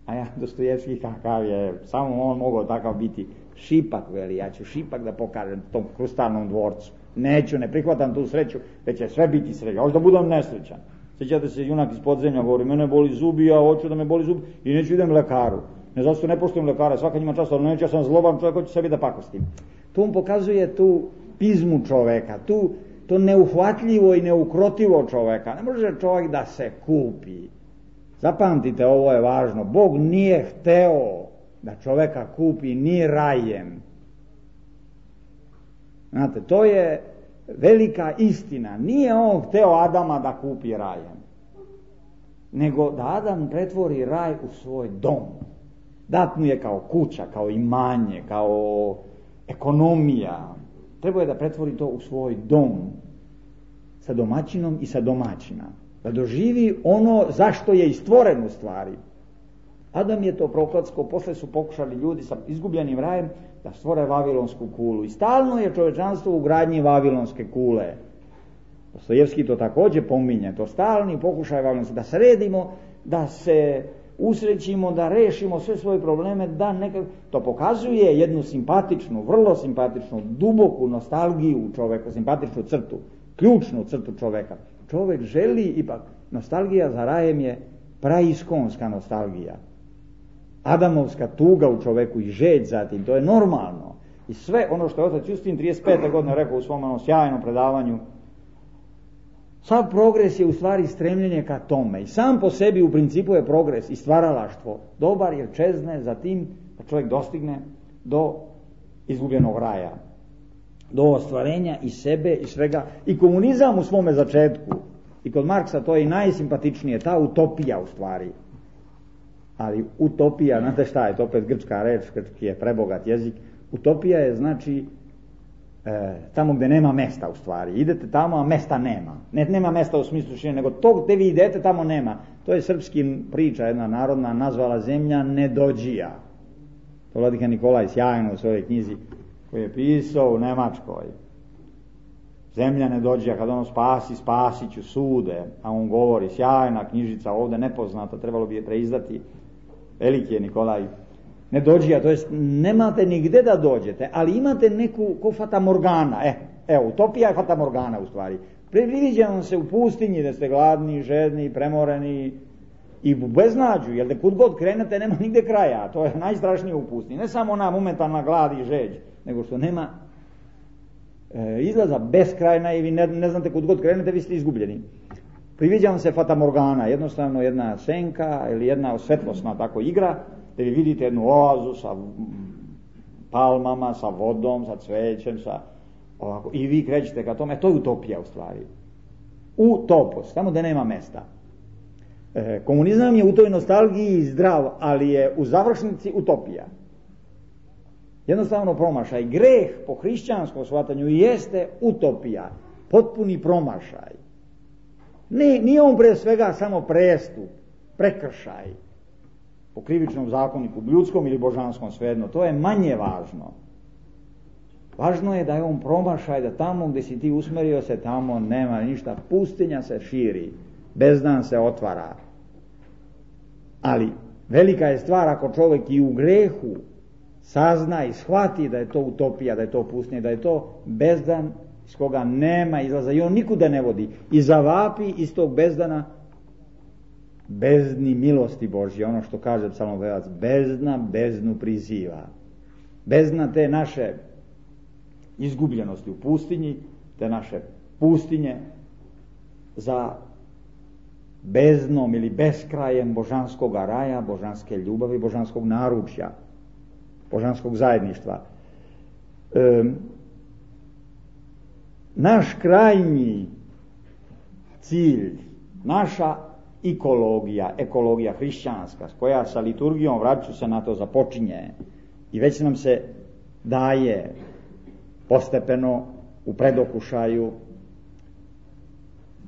A ja, Dostojevski, kakav je, samo on mogao takav biti. Šipak, veli, ja ću šipak da pokažem tom krustalnom dvorcu. Neću, ne prihvatam tu sreću, već će sve biti sreće, hoću da budem nesrećan. Sjećate se, junak iz podzemlja govori, mene boli zubi, ja hoću da me boli zubi i neću idem lekaru. Ne zato što ne poštujem lekara, svaka njima čast, ali neću, ja sam zloban čovjek, hoću sebi da pakostim. Tu on pokazuje tu pizmu čoveka, tu, to neuhvatljivo i neukrotivo čoveka. Ne može čovjek da se kupi. Zapamtite, ovo je važno. Bog nije hteo da čoveka kupi ni rajem. Znate, to je velika istina. Nije on hteo Adama da kupi rajem, nego da Adam pretvori raj u svoj dom. Dat mu je kao kuća, kao imanje, kao ekonomija. Treba je da pretvori to u svoj dom sa domaćinom i sa domaćina. Da doživi ono zašto je i stvoren u stvari. Adam je to prokletsko, posle su pokušali ljudi sa izgubljenim rajem da stvore vavilonsku kulu. I stalno je čovečanstvo u gradnji vavilonske kule. Dostojevski to također pominje, to stalni pokušaj vavilonske, da sredimo, da se usrećimo, da rešimo sve svoje probleme, da nekako, to pokazuje jednu simpatičnu, vrlo simpatičnu, duboku nostalgiju u čoveku, simpatičnu crtu, ključnu crtu čoveka. Čovek želi ipak, nostalgija za rajem je praiskonska nostalgija. Adamovska tuga u čoveku i žeđ zatim, to je normalno. I sve ono što je otac Justin trideset pete godine rekao u svom onom sjajnom predavanju, sav progres je u stvari stremljenje ka tome. I sam po sebi u principu je progres i stvaralaštvo dobar jer čezne za tim da čovjek dostigne do izgubljenog raja, do ostvarenja i sebe i svega. I komunizam u svome začetku, i kod Marksa to je i najsimpatičnije, ta utopija u stvari. Ali utopija, znate šta je, to opet grčka reč, grčki je prebogat jezik. Utopija je znači e, tamo gdje nema mesta u stvari. Idete tamo, a mesta nema. Ne, nema mesta u smislu širine, nego to gdje vi idete tamo nema. To je srpski priča, jedna narodna, nazvala zemlja nedođija. To vladika Nikolaj sjajno u svojoj knjizi koju je pisao u Nemačkoj. Zemlja nedođija, kad ono spasi, spasit ću sude, a on govori, sjajna knjižica ovdje nepoznata, trebalo bi je preizdati. Veliki je Nikolaj. ne dođija, to jest nemate nigde da dođete, ali imate neku ko fatamorgana, e, evo, utopija je fatamorgana u stvari. Priviđa vam se u pustinji da ste gladni, žedni, premoreni i u beznađu, jer da kud god krenete nema nigde kraja, to je najstrašnije u pustinji. Ne samo ona momentalna glad i žeđ, nego što nema e, izlaza beskrajna i vi ne, ne znate kud god krenete, vi ste izgubljeni. Priviđa vam se fatamorgana, jednostavno jedna senka ili jedna svetlosna tako igra, da vi vidite jednu oazu sa palmama, sa vodom, sa cvećem, sa ovako, i vi krećete ka tome, to je utopija u stvari. Utopos, tamo da nema mesta. E, komunizam je u toj nostalgiji zdrav, ali je u završnici utopija. Jednostavno promašaj. Greh po hrišćanskom shvatanju jeste utopija, potpuni promašaj. Ne, nije on pre svega samo prestup, prekršaj po krivičnom zakoniku, ljudskom ili božanskom, svejedno, to je manje važno. Važno je da je on promašaj, da tamo gdje si ti usmerio se, tamo nema ništa, pustinja se širi, bezdan se otvara. Ali velika je stvar ako čovjek i u grehu sazna i shvati da je to utopija, da je to pustinja, da je to bezdan iz koga nema izlaza i on nikuda ne vodi i zavapi iz tog bezdana bezdni milosti Božje, ono što kaže psalmopevac, bezdna bezdnu priziva. Bezdna te naše izgubljenosti u pustinji, te naše pustinje za bezdnom ili beskrajem božanskog raja, božanske ljubavi, božanskog naručja, božanskog zajedništva. E, naš krajnji cilj, naša ekologija, ekologija hrišćanska, koja sa liturgijom, vratit ću se na to, započinje i već nam se daje postepeno u predokušaju,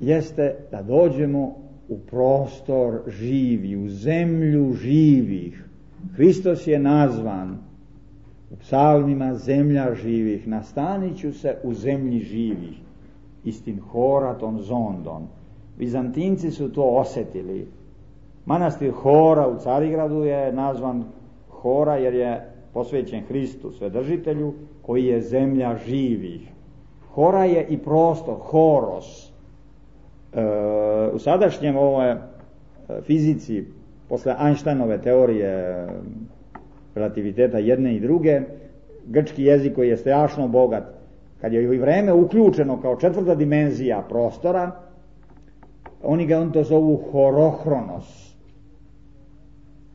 jeste da dođemo u prostor živi, u zemlju živih. Hristos je nazvan u psalmima zemlja živih, nastanit ću se u zemlji živih, istin horaton zondon. Bizantinci su to osjetili. Manastir Hora u Carigradu je nazvan Hora jer je posvećen Hristu Svedržitelju, koji je zemlja živih. Hora je i prostor, horos. E, u sadašnjem ovoj fizici, posle Einsteinove teorije relativiteta jedne i druge, grčki jezik koji je strašno bogat, kad je i vreme uključeno kao četvrta dimenzija prostora, oni ga on to zovu horohronos.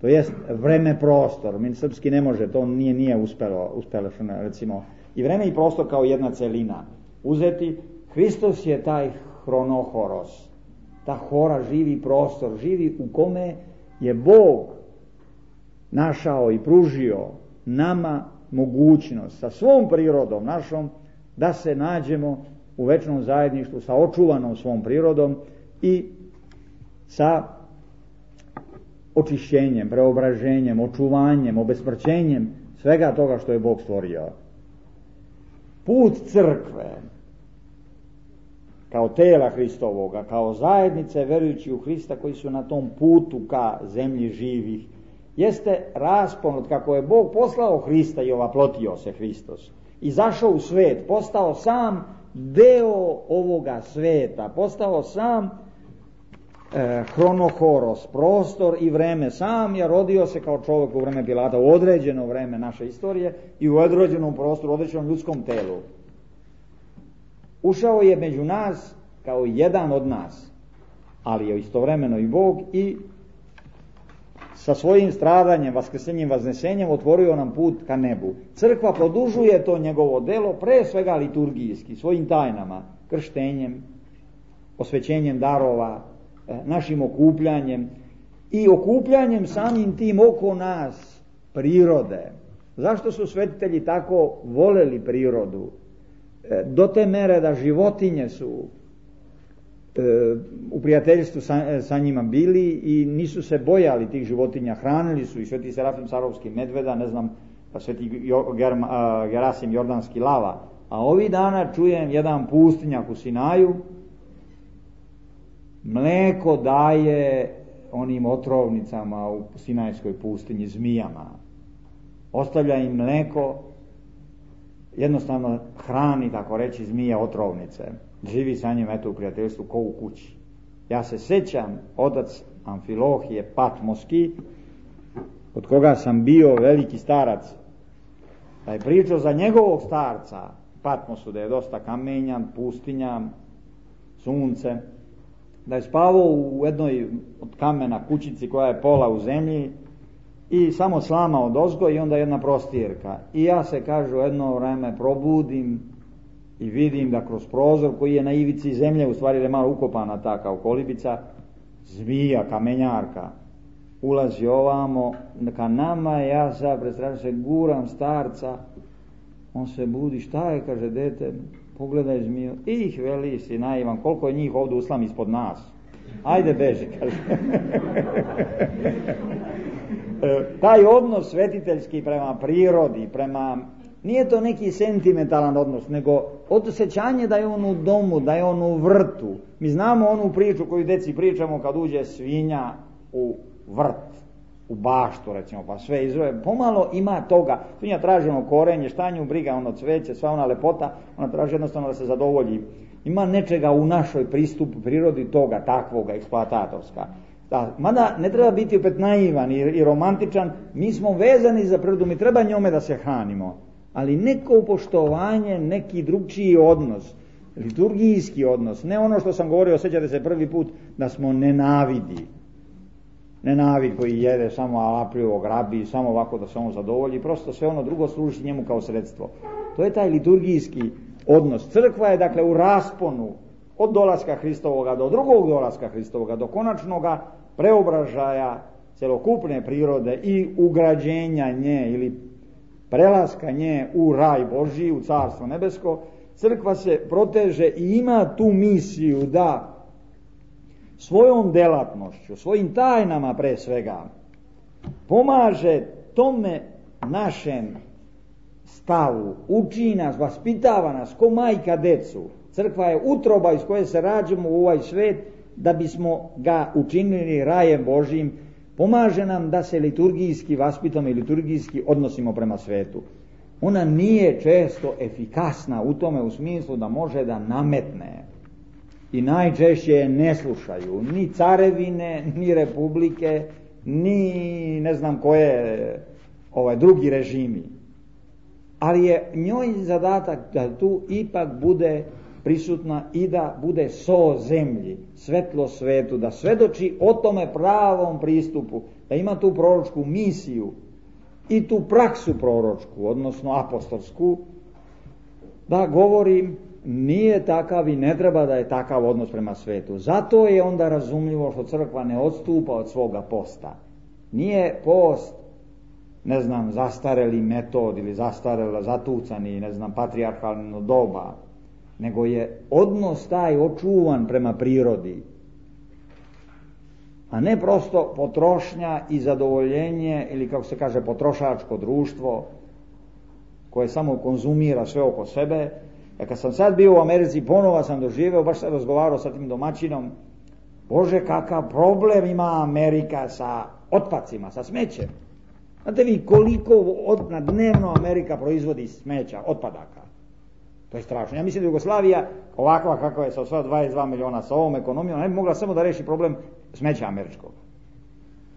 To jest vreme prostor. Mi srpski ne može, to nije nije uspelo, uspelo recimo i vreme i prostor kao jedna celina uzeti. Hristos je taj hronohoros, ta hora, živi prostor, živi u kome je Bog našao i pružio nama mogućnost sa svom prirodom našom da se nađemo u večnom zajedništvu sa očuvanom svom prirodom i sa očišćenjem, preobraženjem, očuvanjem, obesmrćenjem svega toga što je Bog stvorio. Put crkve kao tela Hristovoga, kao zajednice verujući u Hrista koji su na tom putu ka zemlji živih, jeste raspon od kako je Bog poslao Hrista i ovaplotio se Hristos. Izašao u svet, postao sam deo ovoga sveta, postao sam e, hronohoros, prostor i vreme. Sam je rodio se kao čovjek u vreme Pilata, u određeno vreme naše istorije i u određenom prostoru, u određenom ljudskom telu. Ušao je među nas kao jedan od nas, ali je istovremeno i Bog i sa svojim stradanjem, vaskrsenjem, vaznesenjem otvorio nam put ka nebu. Crkva produžuje to njegovo delo, pre svega liturgijski, svojim tajnama, krštenjem, osvećenjem darova, našim okupljanjem i okupljanjem samim tim oko nas prirode. Zašto su svetitelji tako voleli prirodu? Do te mere da životinje su e, u prijateljstvu sa, sa njima bili i nisu se bojali tih životinja, hranili su i sveti Serafim Sarovski medveda, ne znam, pa sveti Germa, Gerasim Jordanski lava. A ovih dana čujem jedan pustinjak u Sinaju, mleko daje onim otrovnicama u Sinajskoj pustinji, zmijama. ostavlja im mleko, jednostavno hrani, tako reći, zmije otrovnice. Živi sa njim, eto, u prijateljstvu ko u kući. Ja se sjećam, otac Amfilohije Patmoski, od koga sam bio veliki starac, da je pričao za njegovog starca Patmosu, da je dosta kamenjan, pustinja, sunce, da je spavao u jednoj od kamena kućici koja je pola u zemlji i samo slama od ozgo i onda jedna prostirka. I ja se, kažu, jedno vreme probudim i vidim da kroz prozor koji je na ivici zemlje, u stvari je malo ukopana ta kao kolibica, zmija, kamenjarka, ulazi ovamo ka nama. Ja sad predstavljam se, guram starca, on se budi, šta je, kaže, dete, pogledaj zmiju, ih, veli si naivan, koliko je njih ovdje uslam ispod nas, ajde beži, kaže. Taj odnos svetiteljski prema prirodi, prema, nije to neki sentimentalan odnos, nego osjećanje da je on u domu, da je on u vrtu. Mi znamo onu priču koju deci pričamo kad uđe svinja u vrt, u baštu, recimo, pa sve izroje, pomalo ima toga. Svinja traži ono korenje, šta nju briga, ono cveće, sva ona lepota, ona traži jednostavno da se zadovolji. Ima nečega u našoj pristupu prirodi toga, takvoga, eksploatatorska. Da, mada ne treba biti opet naivan i, i romantičan, mi smo vezani za prirodu, mi treba njome da se hranimo, ali neko poštovanje, neki drugčiji odnos, liturgijski odnos, ne ono što sam govorio, sjećate se prvi put, da smo nenavidi, nenavid koji jede samo alapljivo, grabi, samo ovako da se on zadovolji, prosto sve ono drugo služi njemu kao sredstvo. To je taj liturgijski odnos. Crkva je, dakle, u rasponu od dolaska Hristovoga do drugog dolaska Hristovoga, do konačnoga preobražaja celokupne prirode i ugrađenja nje ili prelaska nje u raj Božji, u carstvo nebesko. Crkva se proteže i ima tu misiju da svojom delatnošću, svojim tajnama pre svega, pomaže tome našem stavu, uči nas, vaspitava nas ko majka decu. Crkva je utroba iz koje se rađamo u ovaj svet da bismo ga učinili rajem Božjim. Pomaže nam da se liturgijski vaspitamo i liturgijski odnosimo prema svetu. Ona nije često efikasna u tome, u smislu da može da nametne. I najčešće je ne slušaju ni carevine, ni republike, ni ne znam koje ovaj, drugi režimi. Ali je njoj zadatak da tu ipak bude prisutna i da bude so zemlji, svetlo svetu, da svedoči o tome pravom pristupu, da ima tu proročku misiju i tu praksu proročku, odnosno apostolsku, da govori nije takav i ne treba da je takav odnos prema svetu. Zato je onda razumljivo što crkva ne odstupa od svoga posta. Nije post, ne znam, zastareli metod ili zastarela, zatucani, ne znam, patrijarhalno doba, nego je odnos taj očuvan prema prirodi, a ne prosto potrošnja i zadovoljenje ili, kako se kaže, potrošačko društvo koje samo konzumira sve oko sebe. Ja kad sam sad bio u Americi, ponovo sam doživeo, baš sam razgovarao sa tim domaćinom, Bože, kakav problem ima Amerika sa otpacima, sa smećem. Znate vi koliko od, na dnevno Amerika proizvodi smeća, otpadaka? To je strašno. Ja mislim da Jugoslavija, ovakva kakva je sa sva dvadeset dva miliona, sa ovom ekonomijom, ne bi mogla samo da reši problem smeća američkog.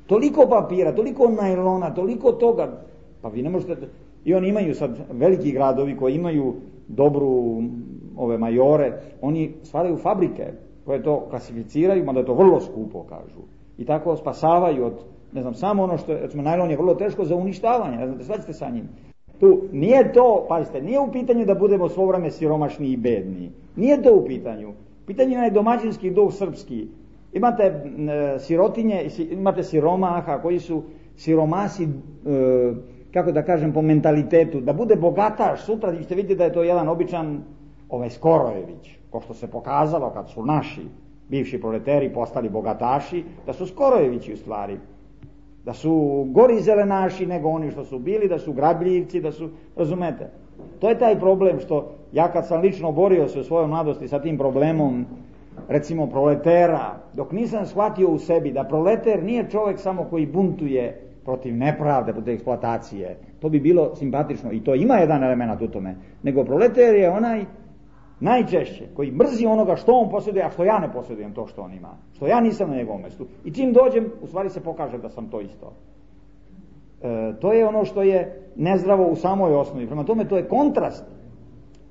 Toliko papira, toliko najlona, toliko toga, pa vi ne možete. I oni imaju sad veliki gradovi koji imaju dobru ove majore, oni stvaraju fabrike koje to klasificiraju, mada je to vrlo skupo, kažu. I tako spasavaju od, ne znam, samo ono što, recimo, najlon je vrlo teško za uništavanje, ne znate, svađate sa njim. Tu nije to, pazite, nije u pitanju da budemo svo vreme siromašni i bedni. Nije to u pitanju. Pitanje je domaćinski duh srpski. Imate e, sirotinje, imate siromaha koji su siromasi, e, kako da kažem, po mentalitetu, da bude bogataš sutra, vi ćete vidjeti da je to jedan običan ovaj Skorojević, ko što se pokazalo kad su naši bivši proleteri postali bogataši, da su Skorojevići u stvari, da su gori zelenaši nego oni što su bili, da su grabljivci, da su, razumete. To je taj problem što ja kad sam lično borio se u svojoj mladosti sa tim problemom, recimo proletera, dok nisam shvatio u sebi da proleter nije čovjek samo koji buntuje protiv nepravde, protiv eksploatacije. To bi bilo simpatično i to ima jedan element u tome. Nego proletar je onaj najčešće koji mrzi onoga što on posjeduje, a što ja ne posjedujem to što on ima. Što ja nisam na njegovom mjestu. I čim dođem, u stvari se pokaže da sam to isto. E, to je ono što je nezdravo u samoj osnovi. Prema tome to je kontrast.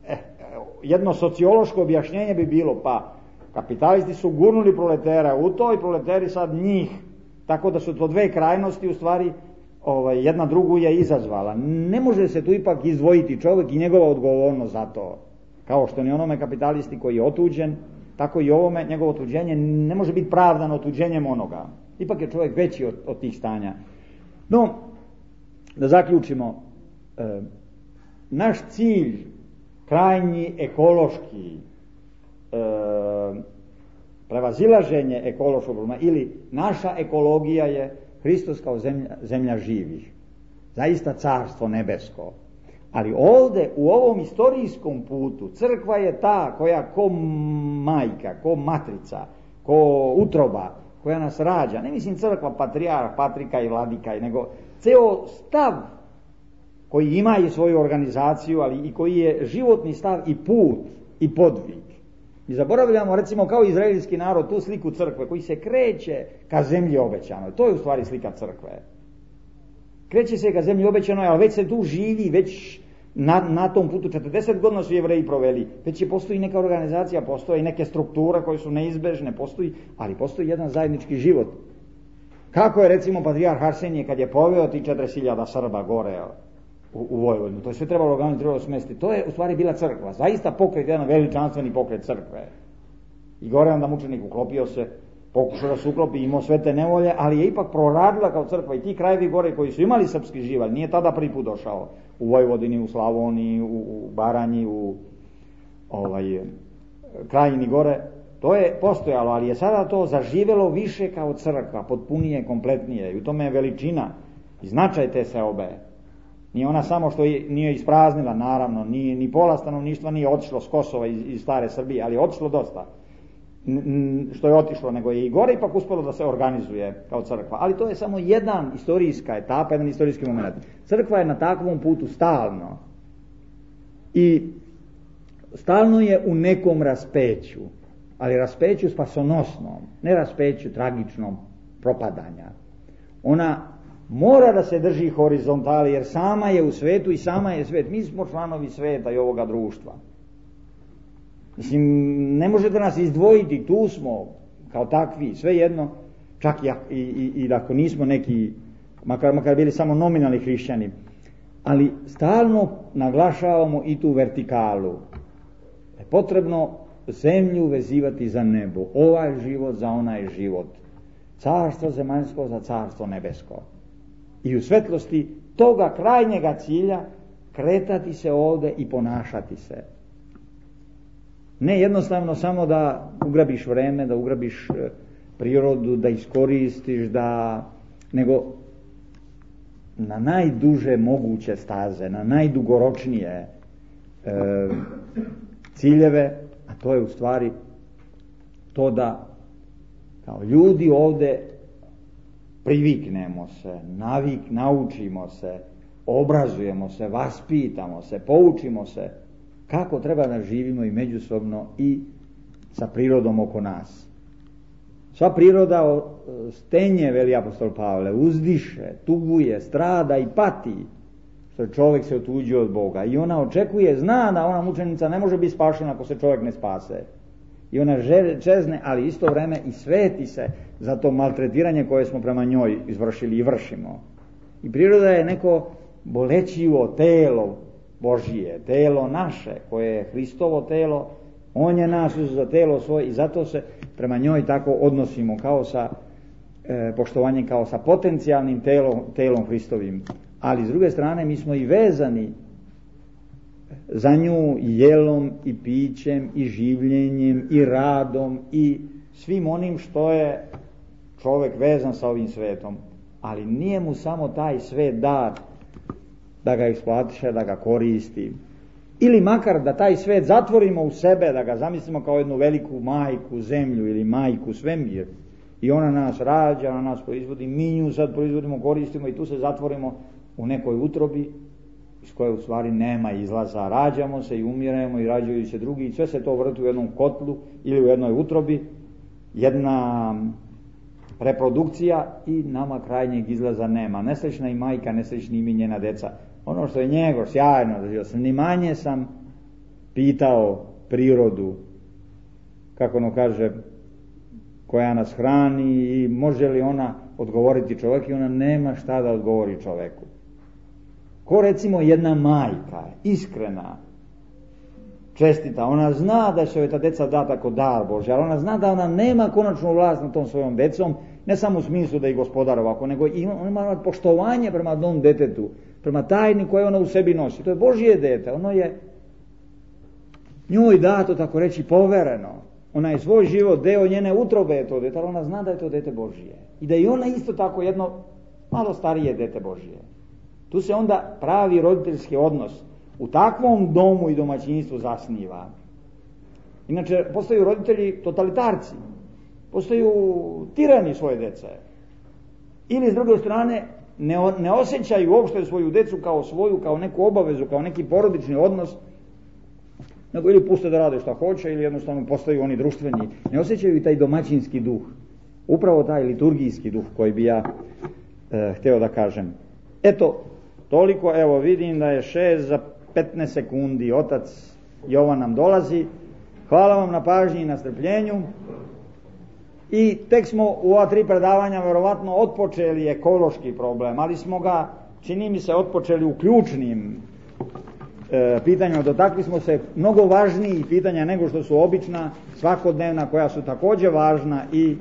E, jedno sociološko objašnjenje bi bilo, pa kapitalisti su gurnuli proletera u to i proleteri sad njih. Tako da su to dve krajnosti, u stvari ovaj, jedna drugu je izazvala. Ne može se tu ipak izdvojiti čovjek i njegova odgovornost za to. Kao što ni onome kapitalisti koji je otuđen, tako i ovome njegovo otuđenje ne može biti pravdano otuđenjem onoga. Ipak je čovjek veći od, od tih stanja. No, da zaključimo, e, naš cilj, krajnji ekološki, e, prevazilaženje ekološkog problema ili naša ekologija je Hristos kao zemlja, zemlja živih. Zaista carstvo nebesko. Ali ovdje u ovom istorijskom putu crkva je ta koja ko majka, ko matrica, ko utroba, koja nas rađa. Ne mislim crkva, patrijarh, patrika i vladika, nego ceo stav koji ima i svoju organizaciju, ali i koji je životni stav i put i podvig. Mi zaboravljamo, recimo, kao izraelski narod, tu sliku crkve koji se kreće ka zemlji obećanoj. To je u stvari slika crkve. Kreće se ka zemlji obećanoj, ali već se tu živi, već na, na tom putu četrdeset godina su Jevreji proveli. Već je postoji neka organizacija, postoji neke strukture koje su neizbežne, postoji, ali postoji jedan zajednički život. Kako je, recimo, patrijarh Arsenije kad je poveo ti četrdeset hiljada Srba gore u, u Vojvodinu, to je sve trebalo organizirati, trebalo smestiti. To je u stvari bila crkva, zaista pokret, jedan veličanstveni pokret crkve. I gore onda mučenik uklopio se, pokušao da se uklopi, imao sve te nevolje, ali je ipak proradila kao crkva i ti krajevi gore koji su imali srpski živalj, nije tada prvi put došao u Vojvodini, u Slavoniji, u, u Baranji, u ovaj, Krajini gore, to je postojalo, ali je sada to zaživelo više kao crkva, potpunije, kompletnije i u tome je veličina i značaj te seobe. Nije ona samo što je, nije ispraznila, naravno, nije, ni pola stanovništva nije otišlo s Kosova iz, iz stare Srbije, ali je otišlo dosta. Što je otišlo, nego je i gore ipak uspjelo da se organizuje kao crkva. Ali to je samo jedan istorijska etapa, jedan istorijski moment. Crkva je na takvom putu stalno. I stalno je u nekom raspeću, ali raspeću spasonosnom, ne raspeću tragičnom propadanja. Ona mora da se drži horizontali, jer sama je u svetu i sama je svet. Mi smo članovi sveta i ovoga društva. Mislim, ne možete nas izdvojiti, tu smo kao takvi, svejedno, čak i, i, i ako nismo neki, makar, makar bili samo nominalni hrišćani, ali stalno naglašavamo i tu vertikalu. Je potrebno zemlju vezivati za nebo, ovaj život za onaj život, carstvo zemaljsko za carstvo nebesko. I u svetlosti toga krajnjega cilja kretati se ovdje i ponašati se. Ne jednostavno samo da ugrabiš vreme, da ugrabiš prirodu, da iskoristiš, da, nego na najduže moguće staze, na najdugoročnije e, ciljeve, a to je u stvari to da kao ljudi ovdje priviknemo se, navik, naučimo se, obrazujemo se, vaspitamo se, poučimo se kako treba da živimo i međusobno i sa prirodom oko nas. Sva priroda stenje, veli apostol Pavle, uzdiše, tuguje, strada i pati što čovjek se otuđio od Boga. I ona očekuje, zna da ona mučenica ne može biti spašena ako se čovjek ne spase. I ona čezne, ali isto vreme i sveti se za to maltretiranje koje smo prema njoj izvršili i vršimo. I priroda je neko bolećivo telo Božije, telo naše, koje je Hristovo telo, on je nas za telo svoje i zato se prema njoj tako odnosimo kao sa e, poštovanjem, kao sa potencijalnim telom, telom Hristovim. Ali s druge strane mi smo i vezani za nju i jelom i pićem i življenjem i radom i svim onim što je čovjek vezan sa ovim svetom. Ali nije mu samo taj svet dat da ga eksploatiše, da ga koristi. Ili makar da taj svet zatvorimo u sebe, da ga zamislimo kao jednu veliku majku zemlju ili majku svemir I ona nas rađa, ona nas proizvodi, mi nju sad proizvodimo, koristimo i tu se zatvorimo u nekoj utrobi iz koje u stvari nema izlaza. Rađamo se i umiremo i rađaju se drugi i sve se to vrti u jednom kotlu ili u jednoj utrobi, jedna reprodukcija i nama krajnjeg izlaza nema. Nesrećna i majka, nesrećni i mi njena deca. Ono što je njegov sjajno, ni manje sam pitao prirodu, kako ono kaže, koja nas hrani i može li ona odgovoriti čovjek, i ona nema šta da odgovori čovjeku. Ko recimo jedna majka, iskrena, čestita, ona zna da će joj ta deca data kao dar Božja, ali ona zna da ona nema konačnu vlast nad tom svojom decom, ne samo u smislu da ih gospodar ovako, nego ona ima poštovanje prema tom detetu, prema tajni koje ona u sebi nosi. To je Božje dete, ono je njoj dato, tako reći, povereno. Ona je svoj život, deo njene utrobe je to dete, ali ona zna da je to dete Božje. I da je ona isto tako jedno malo starije dete Božje. Tu se onda pravi roditeljski odnos u takvom domu i domaćinstvu zasniva. Inače, postaju roditelji totalitarci, postaju tirani svoje dece. Ili s druge strane, ne, ne osjećaju uopšte svoju decu kao svoju, kao neku obavezu, kao neki porodični odnos, nego ili puste da rade šta hoće, ili jednostavno postaju oni društveni. Ne osjećaju i taj domaćinski duh, upravo taj liturgijski duh koji bi ja e, htio da kažem. Eto, toliko, evo vidim da je šest za petnaest sekundi, otac Jovan nam dolazi. Hvala vam na pažnji i na strpljenju. I tek smo u ova tri predavanja verovatno otpočeli ekološki problem, ali smo ga, čini mi se, otpočeli u ključnim e, pitanjima. Dotakli smo se mnogo važnijih pitanja nego što su obična, svakodnevna, koja su također važna i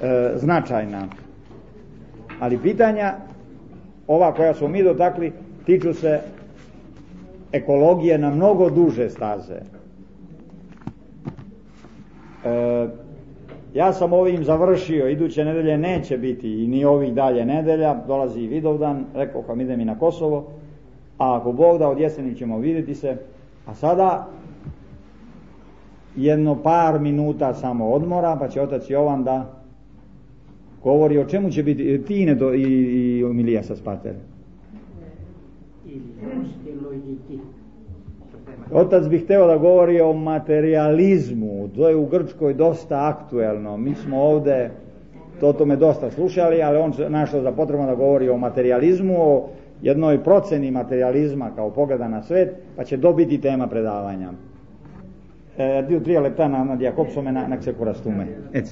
e, značajna. Ali pitanja, ova koja smo mi dotakli, tiču se ekologije na mnogo duže staze. E, ja sam ovim završio, iduće nedelje neće biti i ni ovih dalje nedelja, dolazi i Vidovdan, rekao vam idem i na Kosovo, a ako Bog da od jeseni ćemo vidjeti se, a sada jedno par minuta samo odmora, pa će otac Jovan da govori o čemu će biti, Tine do, i, i Milija sa Spater. Otac bi hteo da govori o materializmu, to je u Grčkoj dosta aktuelno, mi smo ovde to tome dosta slušali, ali on našao za potrebno da govori o materializmu, o jednoj proceni materializma kao pogleda na svet, pa će dobiti tema predavanja. E, dio tri leptana na Jakobsome na, na ksekurastume. Eto.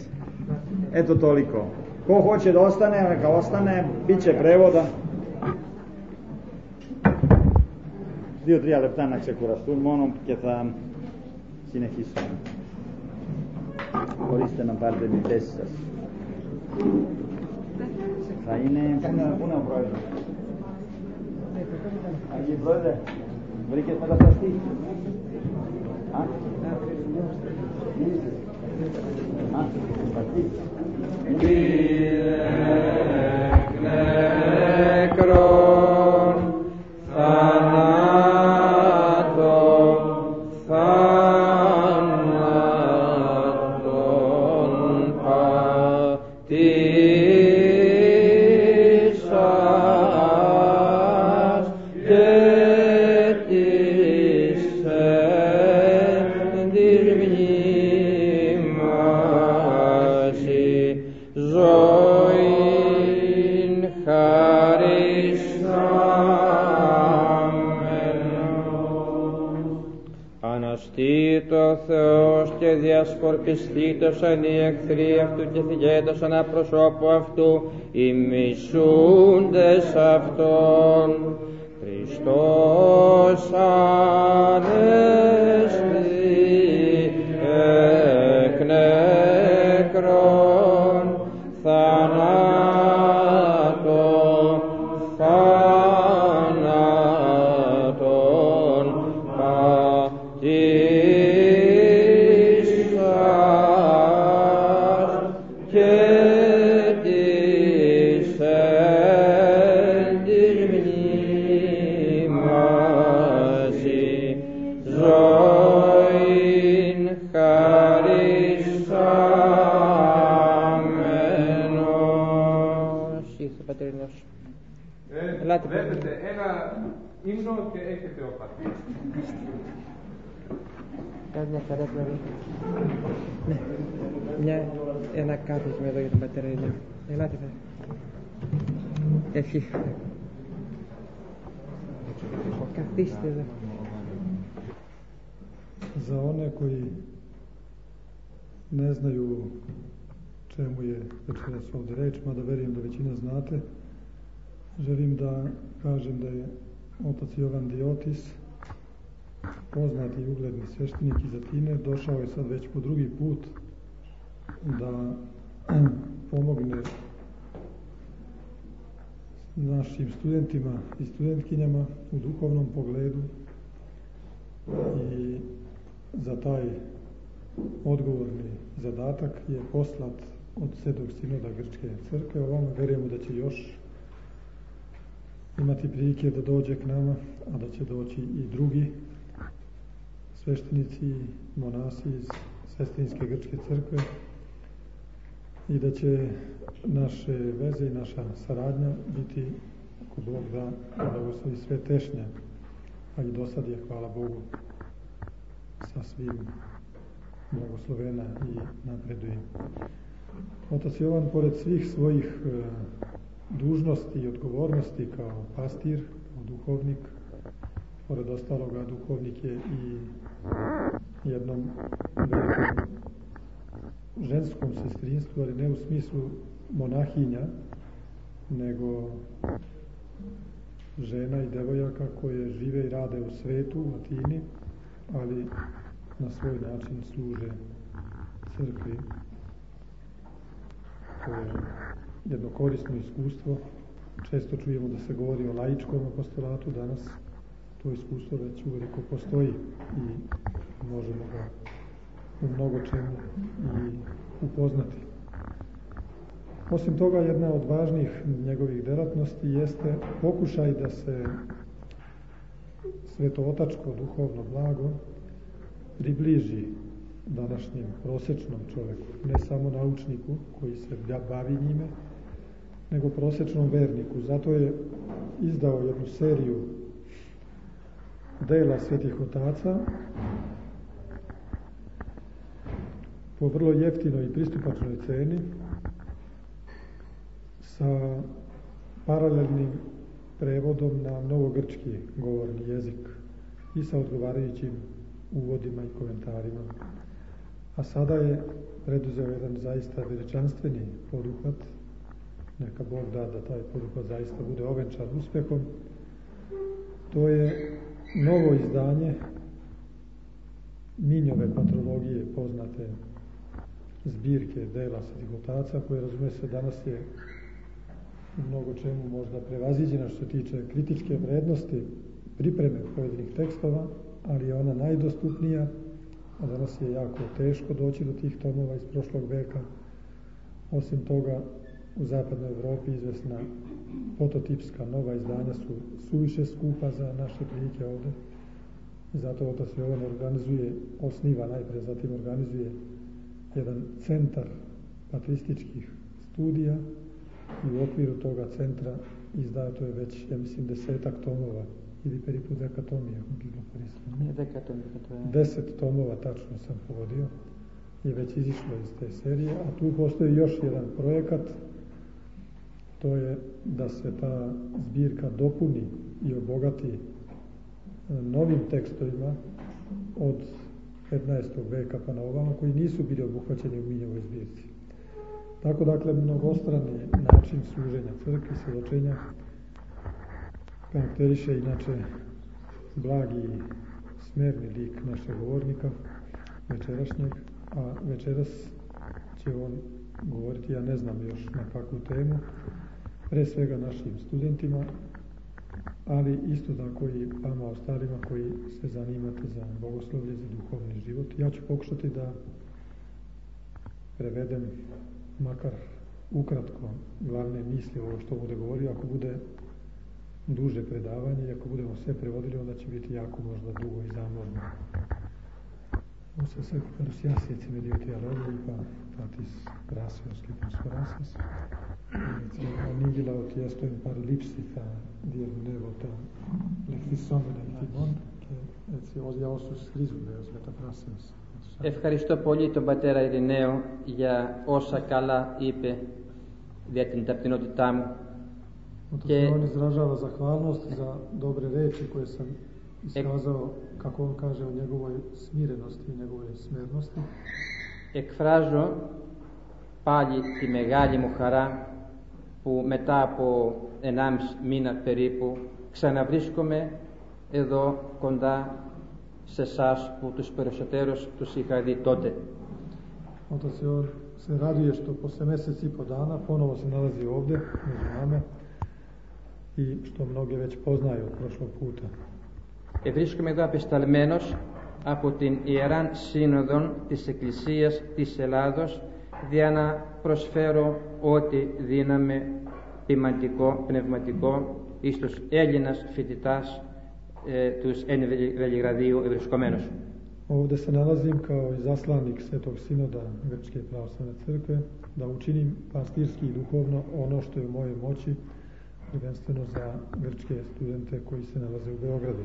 Eto toliko. Ko hoće da ostane, neka ostane, bit će prevoda. Δύο τρία λεπτά να ξεκουραστούν μόνο και θα συνεχίσουμε. Μπορείτε να πάρετε τις θέσεις σας. Θα είναι... Πού είναι ο πρόεδρος? Αγγί πρόεδρε, βρήκες μεταφραστή? Α, Α, μεταφραστή. Κύριε νεκρόν, θανάτων, θάνατον πατήσας και της έντης μνήμαση ζωήν χαρισάμενος. Αναστήτω ο Θεός και διασκορπιστήτωσαν οι εχθροί αυτού και θυγέτωσαν απροσώπου αυτού οι μισούντες αυτόν. Χριστός ανέστη εκ νεκρών θανάτων, θάνατον πατήσας και της έντης μνήμαση ζωήν χαρισάμενος. πατερινός. Ε, Ελάτε, βλέπετε ένα ύμνο και έχετε όπα. Κάνει μια χαρά πλέον. Ναι, μια, ένα κάθισμα εδώ για τον πατέρα Ηλία. Ελάτε, θα. Ευχή. Καθίστε εδώ. Za one koji ne znaju čemu je večeras ovdje reč, mada verujem da većina znate, želim da kažem da je otac Jovan Diotis, poznati i ugledni sveštenik iz Atine, došao je sad već po drugi put da pomogne našim studentima i studentkinjama u duhovnom pogledu i za taj odgovorni zadatak je poslat od Svetog Sinoda Grčke crkve. Ovamo verujemo da će još imati prilike da dođe k nama, a da će doći i drugi sveštenici i monasi iz Sestrinske Grčke crkve i da će naše veze i naša saradnja biti, ako Bog da, da blagoslovi sve tešnje, a i do sad je, hvala Bogu, sa svim blagoslovena i napreduje. Otac Jovan, pored svih svojih e, dužnosti i odgovornosti kao pastir, kao duhovnik, pored ostaloga duhovnik je i jednom velikom ženskom sestrinstvu, ali ne u smislu monahinja, nego žena i devojaka koje žive i rade u svetu, u Atini, ali na svoj način služe crkvi. To je jedno korisno iskustvo. Često čujemo da se govori o laičkom apostolatu, danas to iskustvo već uveliko postoji i možemo ga u mnogo čemu i upoznati. Osim toga, jedna od važnih njegovih delatnosti jeste pokušaj da se svetootačko duhovno blago približi današnjem prosečnom čoveku, ne samo naučniku koji se bavi njime, nego prosečnom verniku. Zato je izdao jednu seriju dela svetih otaca po vrlo jeftinoj i pristupačnoj ceni sa paralelnim prevodom na novogrčki govorni jezik i sa odgovarajućim uvodima i komentarima. A sada je preduzeo jedan zaista veličanstveni poduhvat. Neka Bog da da taj poduhvat zaista bude ovenčan uspehom. To je novo izdanje Minjove patrologije, poznate zbirke dela svetih otaca, koje, razume se, danas je u mnogo čemu možda prevaziđena što se tiče kritičke vrednosti pripreme pojedinih tekstova, ali je ona najdostupnija, a danas je jako teško doći do tih tomova iz prošlog veka. Osim toga, u zapadnoj Evropi izvesna prototipska nova izdanja su suviše skupa za naše prilike ovde. Zato otac Jovan organizuje, osniva najpre, zatim organizuje jedan centar patrističkih studija i u okviru toga centra izdato je već, ja mislim, desetak tomova ili periput dekatomija. Ne, dekatomija, to je... Deset tomova, tačno sam povodio, je već izišlo iz te serije, a tu postoji još jedan projekat, to je da se ta zbirka dopuni i obogati novim tekstovima od petnaestog veka pa na ovamo, koji nisu bili obuhvaćeni u Minjevoj zbirci. Tako, dakle, mnogostrani način služenja crkvi, svjedočenja, karakteriše inače blagi i smerni lik našeg govornika večerašnjeg, a večeras će on govoriti, ja ne znam još na kakvu temu, pre svega našim studentima, ali isto tako i vama ostalima koji se zanimate za bogoslovlje, za duhovni život. Ja ću pokušati da prevedem makar ukratko glavne misli ovo što bude govorio. Ako bude duže predavanje i ako budemo sve prevodili, onda će biti jako možda dugo i zamorno. Usa se parusjasieci medioti alogii pa tatis gratios qui prosperasas, et Evangela ότι έστω εν παρλήψη θα διερμηνεύω τα λεχθισόμενα ημών και έτσι για όσους χρήζονται ως μεταφράσεως. Ευχαριστώ πολύ τον πατέρα Ειρηναίο για όσα καλά είπε για την ταπεινότητά μου. Και on izražava zahvalnost za dobre reči koje sam iskazao, kako on kaže, o njegovoj smirenosti i njegovoj smernosti. Εκφράζω πάλι τη μεγάλη μου χαρά που μετά από ενάμιση μήνα περίπου ξαναβρίσκομαι εδώ κοντά σε εσάς που τους περισσότερους τους είχα δει τότε. Onda se on se raduje što posle mjesec i po dana ponovo se nalazi ovdje među nama i što mnoge već poznaju od prošlog puta. E, βρίσκομαι εδώ απεσταλμένος από την Ιεράν Σύνοδον της Εκκλησίας της Ελλάδος για να προσφέρω ό,τι δύναμη ποιμαντικό, πνευματικό εις τους Έλληνας φοιτητάς ε, τους εν Βελιγραδίου ευρισκομένους. Ovdje se nalazim kao izaslanik Svetog Sinoda Grčke pravoslavne crkve da učinim pastirski i duhovno ono što je u mojoj moći, prvenstveno za grčke studente koji se nalaze u Beogradu.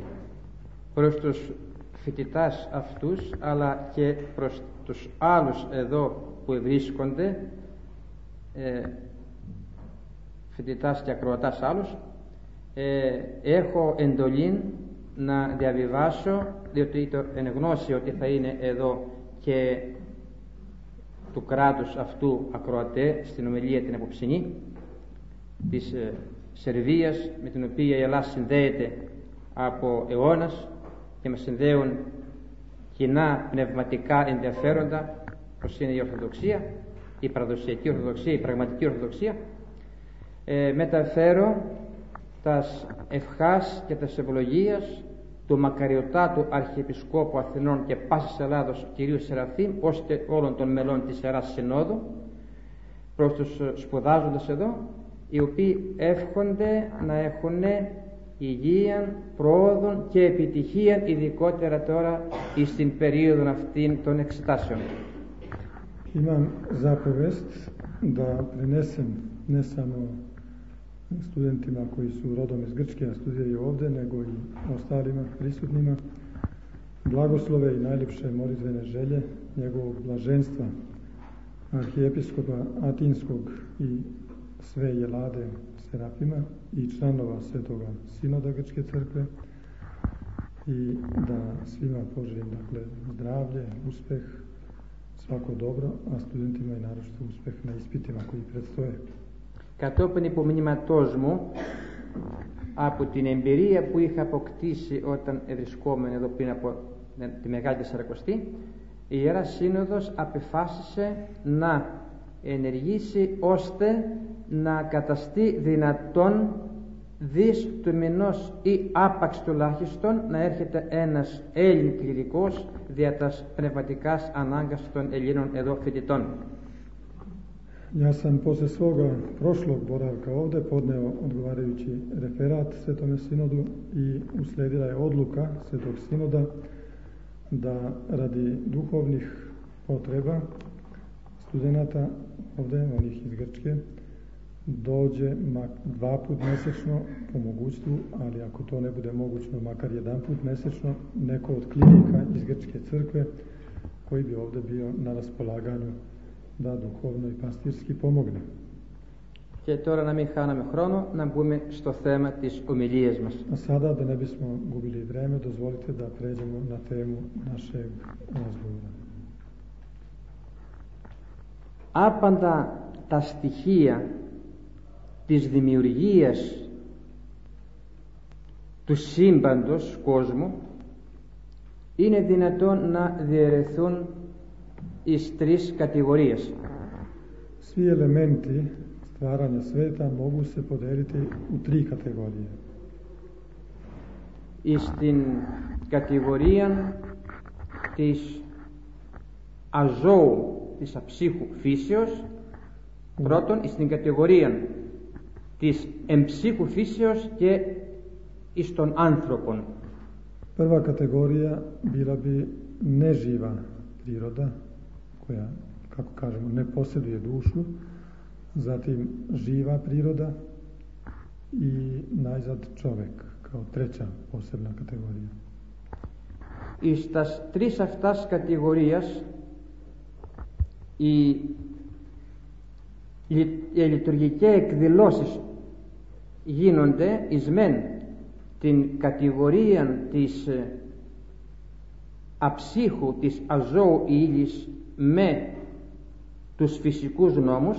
Προς τους φοιτητάς αυτούς αλλά και προς τους άλλους εδώ που βρίσκονται, ε, φοιτητάς και ακροατάς άλλους, ε, έχω εντολή να διαβιβάσω, διότι το εν γνώση ότι θα είναι εδώ και του κράτους αυτού ακροατέ στην ομιλία την απόψινή της ε, Σερβίας, με την οποία η Ελλάδα συνδέεται από αιώνας και μας συνδέουν κοινά πνευματικά ενδιαφέροντα, όπως είναι η Ορθοδοξία, η παραδοσιακή Ορθοδοξία, η πραγματική Ορθοδοξία. ε, μεταφέρω τας ευχάς και τας ευλογίας του μακαριωτάτου Αρχιεπισκόπου Αθηνών και πάσης Ελλάδος κυρίου Σεραφείμ, ώστε όλων των μελών της Ιεράς Συνόδου, προς τους σπουδάζοντες εδώ, οι οποίοι εύχονται να έχουν υγεία, πρόοδο και επιτυχία, ειδικότερα τώρα στην περίοδο αυτήν των εξετάσεων. Imam zapovest da prenesem ne samo studentima koji su rodom iz Grčke, a studiraju ovdje, nego i ostalima prisutnima blagoslove i najljepše molitvene želje njegovog blaženstva arhijepiskopa Atinskog i sve jelade Serafima i članova Svetoga Sinoda Grčke crkve, i da svima poželim, dakle, zdravlje, uspeh, svako dobro, a studentima i naročito uspeh na ispitima koji predstoje. Κατόπιν υπομνήματός μου από την εμπειρία που είχα αποκτήσει όταν ευρισκόμουν εδώ πριν από τη Μεγάλη Τεσσαρακοστή, η Ιερά Σύνοδος απεφάσισε να ενεργήσει ώστε να καταστεί δυνατόν δις του μηνός ή άπαξ τουλάχιστον να έρχεται ένας Έλλην κληρικός δια τας πνευματικάς ανάγκας των Ελλήνων εδώ φοιτητών. Ja sam posle svoga prošlog boravka ovdje podneo odgovarajući referat Svetome Sinodu i usledila je odluka Svetog Sinoda da radi duhovnih potreba studenata ovdje, onih iz Grčke, dođe dva put mjesečno po mogućstvu, ali ako to ne bude mogućno, makar jedan put mjesečno, neko od klinika iz Grčke crkve koji bi ovdje bio na raspolaganju da duhovno i pastirski pomogne. Και τώρα να μην χάναμε χρόνο, να μπούμε στο θέμα της ομιλίας μας. A sada, da ne bismo gubili vreme, dozvolite da pređemo na temu našeg razgovora. Άπαντα τα στοιχεία της δημιουργίας του σύμπαντος κόσμου είναι δυνατόν να διαιρεθούν εις τρεις κατηγορίες. Svi elementi stvaranja sveta mogu se podeliti u tri kategorije. Εις την κατηγορία της αζώου, της αψύχου φύσεως, πρώτον, εις την κατηγορία της εμψύχου φύσεως και εις των άνθρωπων. Prva kategorija bila bi neživa priroda, koja, kako kažemo, ne posjeduje dušu, zatim živa priroda i najzad čovek kao treća posebna kategorija. Εις τας τρεις αυτάς κατηγορίας οι, οι λειτουργικές εκδηλώσεις γίνονται εις μεν την κατηγορία της αψύχου, της αζώου ύλης με τους φυσικούς νόμους.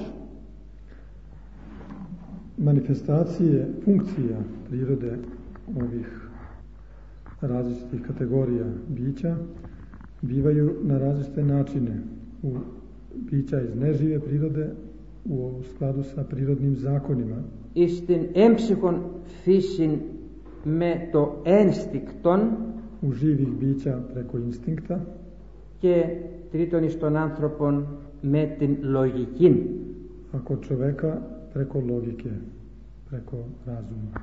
Manifestacije funkcija prirode ovih različitih kategorija bića bivaju na različite načine. U bića iz nežive prirode u skladu sa prirodnim zakonima. Εις την έμψυχον φύσιν με το ένστικτον. U živih bića preko instinkta. Και τρίτον εις των άνθρωπων με την λογική. A kod čoveka preko logike, preko razuma.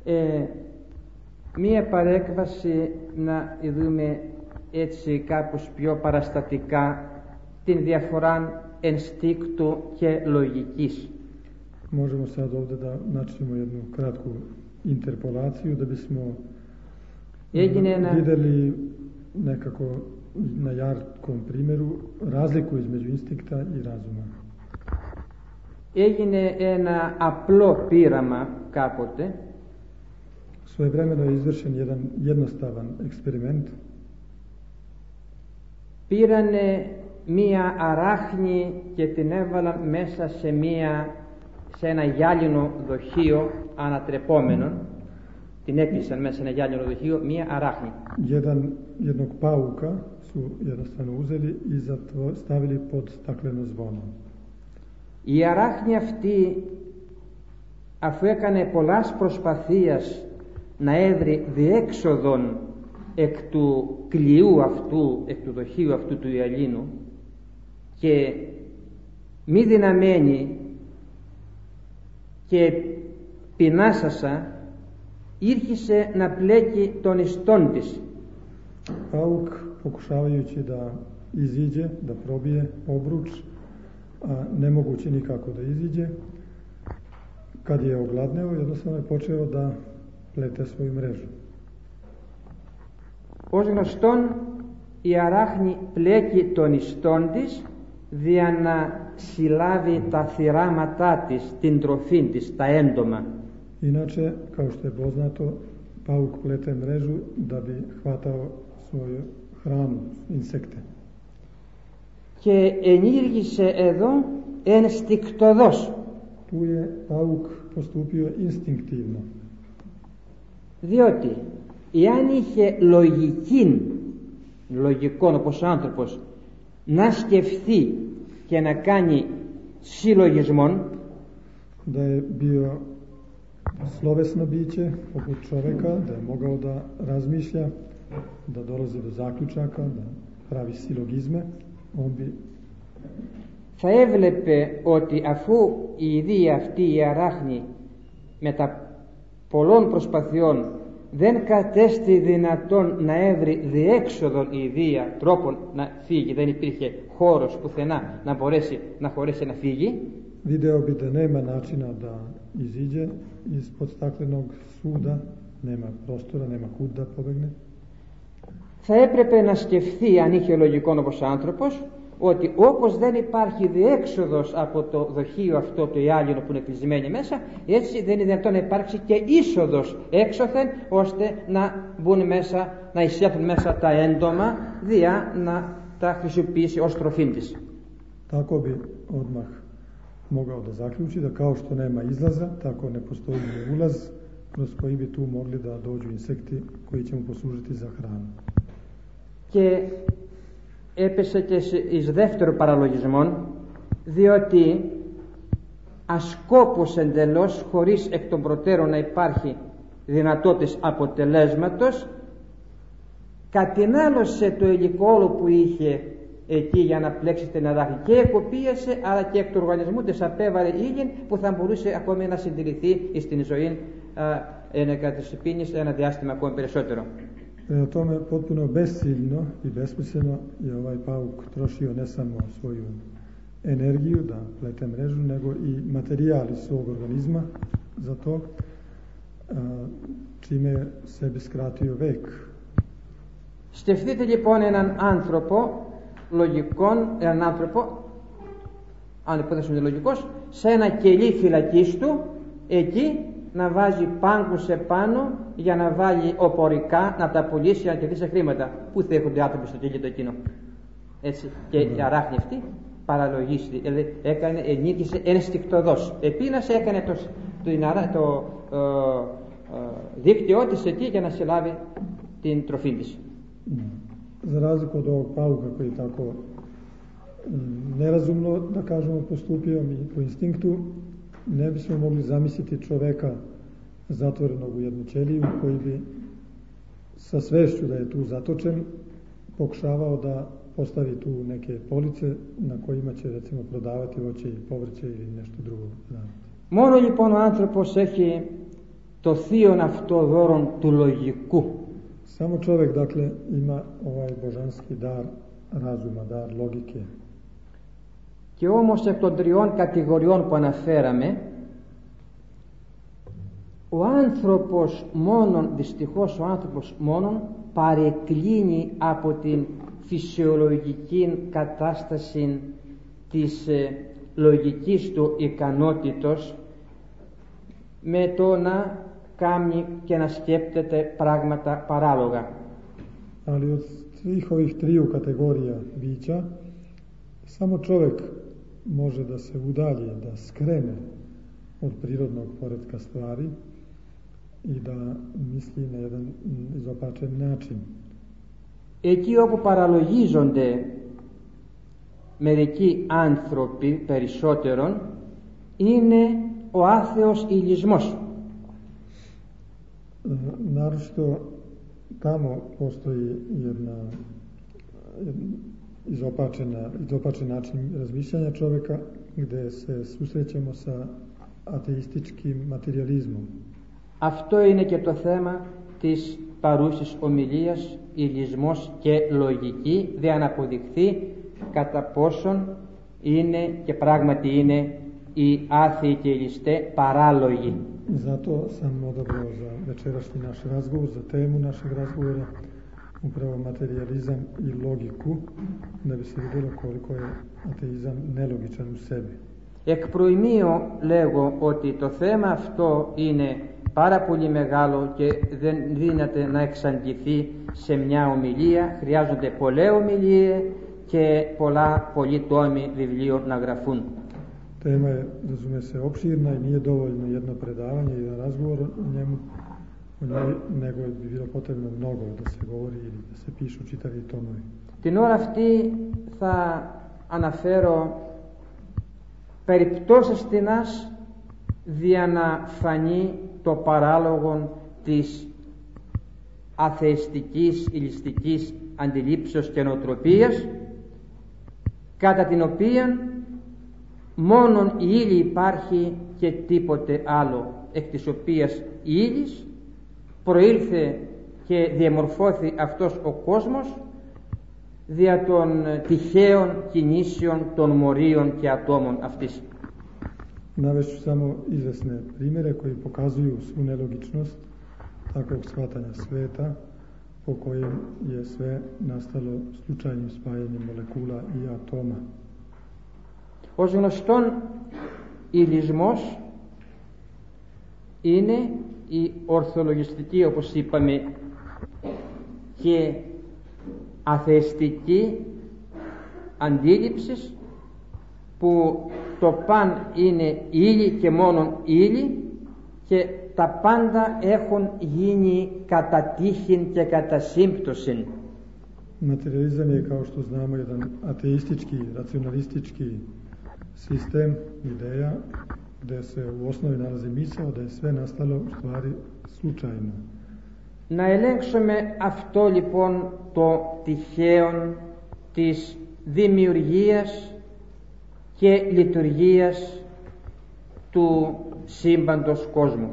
Ε, μία παρέκβαση να δούμε έτσι κάπως πιο παραστατικά την διαφορά ενστίκτου και λογικής. Možemo sad ovdje da načnemo jednu kratku interpolaciju da bismo Έγινε vidjeli nekako na jarkom primjeru razliku između instinkta i razuma. Έγινε ένα απλό πείραμα κάποτε. Svojevremeno je izvršen jedan jednostavan eksperiment. Πήρανε μία αράχνη και την έβαλαν μέσα σε, μία, σε ένα γυάλινο δοχείο ανατρεπόμενο. Την έκλεισαν μέσα σε ένα γυάλινο δοχείο μία αράχνη. Jedan, jednog pauka su jednostavno uzeli i stavili pod stakleno zvono. Η αράχνη αυτή, αφού έκανε πολλάς προσπαθίας να έβρει διέξοδον εκ του κλειού αυτού, εκ του δοχείου αυτού του γυαλίνου, και μη δυναμένη και πεινάσασα, ήρχισε να πλέκει τον ιστόν της. Pauk, pokušavajući da iziđe, da probije obruč, a ne mogući nikako da iziđe, kad je ogladneo, jednostavno je počeo da plete svoju mrežu. Ως γνωστόν, η αράχνη πλέκει τον ιστόν της δια να συλλάβει τα θυράματά της, την τροφή της, τα έντομα. Inače, kao što je poznato, pauk plete mrežu da bi hvatao svoju hranu, insekte. Και ενήργησε εδώ ενστικτοδός. Tu je pauk postupio instinktivno. Διότι εάν είχε λογική, λογικό όπως ο άνθρωπος, να σκεφτεί και να κάνει συλλογισμόν, da je bio slovesno biće poput čoveka, da je mogao da razmišlja, da dolazi do zaključaka, da pravi silogizme, on bi θα έβλεπε ότι αφού η ιδέα αυτή η αράχνη με τα πολλών προσπαθειών δεν κατέστη δυνατόν να έβρει διέξοδον η ιδέα τρόπον να φύγει, δεν υπήρχε χώρος πουθενά να μπορέσει να χωρέσει να φύγει, video bi da nema načina da iziđe ispod staklenog suda, nema prostora, nema kud da pobegne. Θα έπρεπε να σκεφτεί, αν είχε λογικό όπως άνθρωπος, ότι όπως δεν υπάρχει διέξοδος από το δοχείο αυτό το γυάλινο που είναι κλεισμένο μέσα, έτσι δεν είναι δυνατόν να υπάρξει και είσοδος έξωθεν, ώστε να μπουν μέσα, να εισέλθουν μέσα τα έντομα, δια να τα χρησιμοποιήσει ως τροφή της. Tako bi odmah mogao da zaključi da kao što nema izlaza, tako ne postoji ni ulaz kroz koji bi tu mogli da dođu insekti koji će mu poslužiti za hranu. Και έπεσε και εις δεύτερο παραλογισμό, διότι ασκόπως εντελώς, χωρίς εκ των προτέρων να υπάρχει δυνατότητες αποτελέσματος, κατηνάλωσε το υλικό όλο που είχε εκεί για να πλέξει την αράχνη και εκοπίασε, αλλά και εκ του οργανισμού της απέβαλε ήλιν που θα μπορούσε ακόμη να συντηρηθεί στην ζωή ενέκα της πίνης ένα διάστημα ακόμη περισσότερο. Prema tome, potpuno besciljno i besmisleno je ovaj pauk trošio ne samo svoju energiju, da plete mrežu, nego i materijal iz svog organizma za to, čime sebi skratio vek. Σκεφτείτε λοιπόν έναν άνθρωπο λογικών, έναν άνθρωπο, αν υποθέσουμε είναι λογικός, σε ένα κελί φυλακής του, εκεί να βάζει πάγκους επάνω για να βάλει οπορικά, να τα πουλήσει για να κερδίσει χρήματα. Πού θα έχουν οι άνθρωποι στο κελί το εκείνο? Έτσι. Και η αράχνη αυτή παραλογίστη, δηλαδή έκανε, ενίκησε ενστικτωδώς. Επίνασε, έκανε το, το, το, το ε, ε, δίκτυό της εκεί για να συλλάβει την τροφή της. Za razliku od ovog pauka koji je tako nerazumno, da kažemo, postupio mi po instinktu, ne bismo mogli zamisliti čoveka zatvorenog u jednu ćeliju koji bi sa svešću da je tu zatočen pokušavao da postavi tu neke police na kojima će recimo prodavati voće i povrće ili nešto drugo. Μόνο λοιπόν ο άνθρωπος έχει το θείον αυτό δώρον του λογικού. Samo čovjek, dakle, ima ovaj božanski dar razuma, dar logike. Και όμως εκ των τριών κατηγοριών που αναφέραμε, ο άνθρωπος μόνον, δυστυχώς ο άνθρωπος μόνον, παρεκκλίνει από την φυσιολογική κατάσταση της ε, λογικής του ικανότητος με το να κάνει και να σκέπτεται πράγματα παράλογα. Ali od svih ovih triju kategorija bića, samo čovjek može da se udalji, da skrene od prirodnog poretka stvari i da misli na jedan izopačen način. Εκεί όπου παραλογίζονται μερικοί άνθρωποι περισσότερον είναι ο άθεος ηλισμός. Naročito tamo postoji jedna, jedna izopačena, izopačen način razmišljanja čovjeka gdje se susrećemo sa ateističkim materializmom. Αυτό είναι και το θέμα της παρούσης ομιλίας, ηλισμός και λογική, δε να αποδειχθεί κατά πόσον είναι και πράγματι είναι οι άθεοι και οι ληστέ παράλογοι. Zato sam odabrao za večerašnji naš razgovor, za temu našeg razgovora, upravo materializam i logiku, da bi se vidjelo koliko je ateizam nelogičan u sebi. Εκ προημίου λέγω ότι το θέμα αυτό είναι πάρα πολύ μεγάλο και δεν δύναται να εξαντληθεί σε μια ομιλία. Χρειάζονται πολλές ομιλίες και πολλά πολλοί τόμοι βιβλίων να γραφούν. Tema je, razume se, opširna i nije dovoljno jedno predavanje i jedan razgovor o njemu, o njoj, nego bi bilo potrebno mnogo da se govori ili da se pišu čitavi tomovi. Την ώρα αυτή θα αναφέρω περιπτώσεις τινάς δια να φανεί το παράλογο της αθεϊστικής, ηλιστικής αντιλήψεως και νοοτροπίας, κατά την οποία μόνον η ύλη υπάρχει και τίποτε άλλο, εκ της οποίας η ύλης προήλθε και διαμορφώθη αυτός ο κόσμος δια των τυχαίων κινήσεων των μορίων και ατόμων αυτής. Navešću samo izvesne primjere koji pokazuju svu nelogičnost takvog shvatanja sveta po kojem je sve nastalo slučajnim spajanjem molekula i atoma. Ως γνωστόν, ηλισμός είναι η ορθολογιστική, όπως είπαμε, και αθεϊστική αντίληψη που το παν είναι ύλη και μόνον ύλη και τα πάντα έχουν γίνει κατά τύχην και κατά σύμπτωσιν. Materializam je, kao što znamo, jedan ateistički, racionalistički sistem ideja gdje se u osnovi nalazi misao da je sve nastalo u stvari slučajno. Να ελέγξουμε αυτό λοιπόν το τυχαίον της δημιουργίας και λειτουργίας του σύμπαντος κόσμου.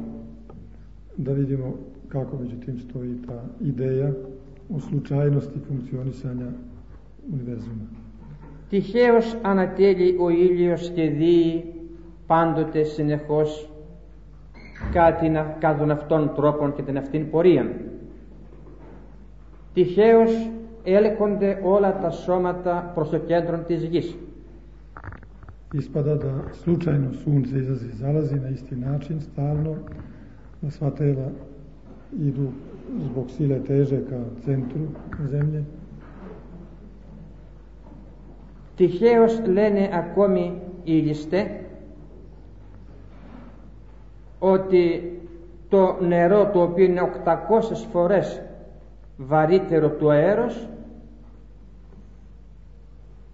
Da vidimo kako međutim stoji ta ideja o slučajnosti funkcionisanja univerzuma. Τυχαίως ανατέλει ο ήλιος και δει πάντοτε συνεχώς κάτι κατά των αυτών τρόπων και την αυτήν πορεία. Τυχαίως έλκονται όλα τα σώματα προς το κέντρο της γης. Ispada da slučajno sunce izlazi i zalazi na isti način stalno, da sva tela idu zbog sile teže ka centru zemlje. Τυχαίως λένε ακόμη οι ληστέ ότι το νερό, το οποίο είναι οκτακόσιες φορές βαρύτερο του αέρος,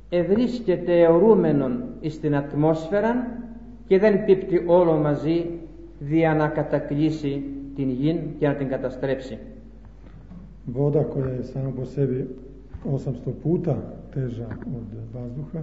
ευρίσκεται αιωρούμενον στην ατμόσφαιρα και δεν πίπτει όλο μαζί δια να κατακλείσει την γη και να την καταστρέψει. Voda koja je sama po sebi osamsto puta teža od vazduha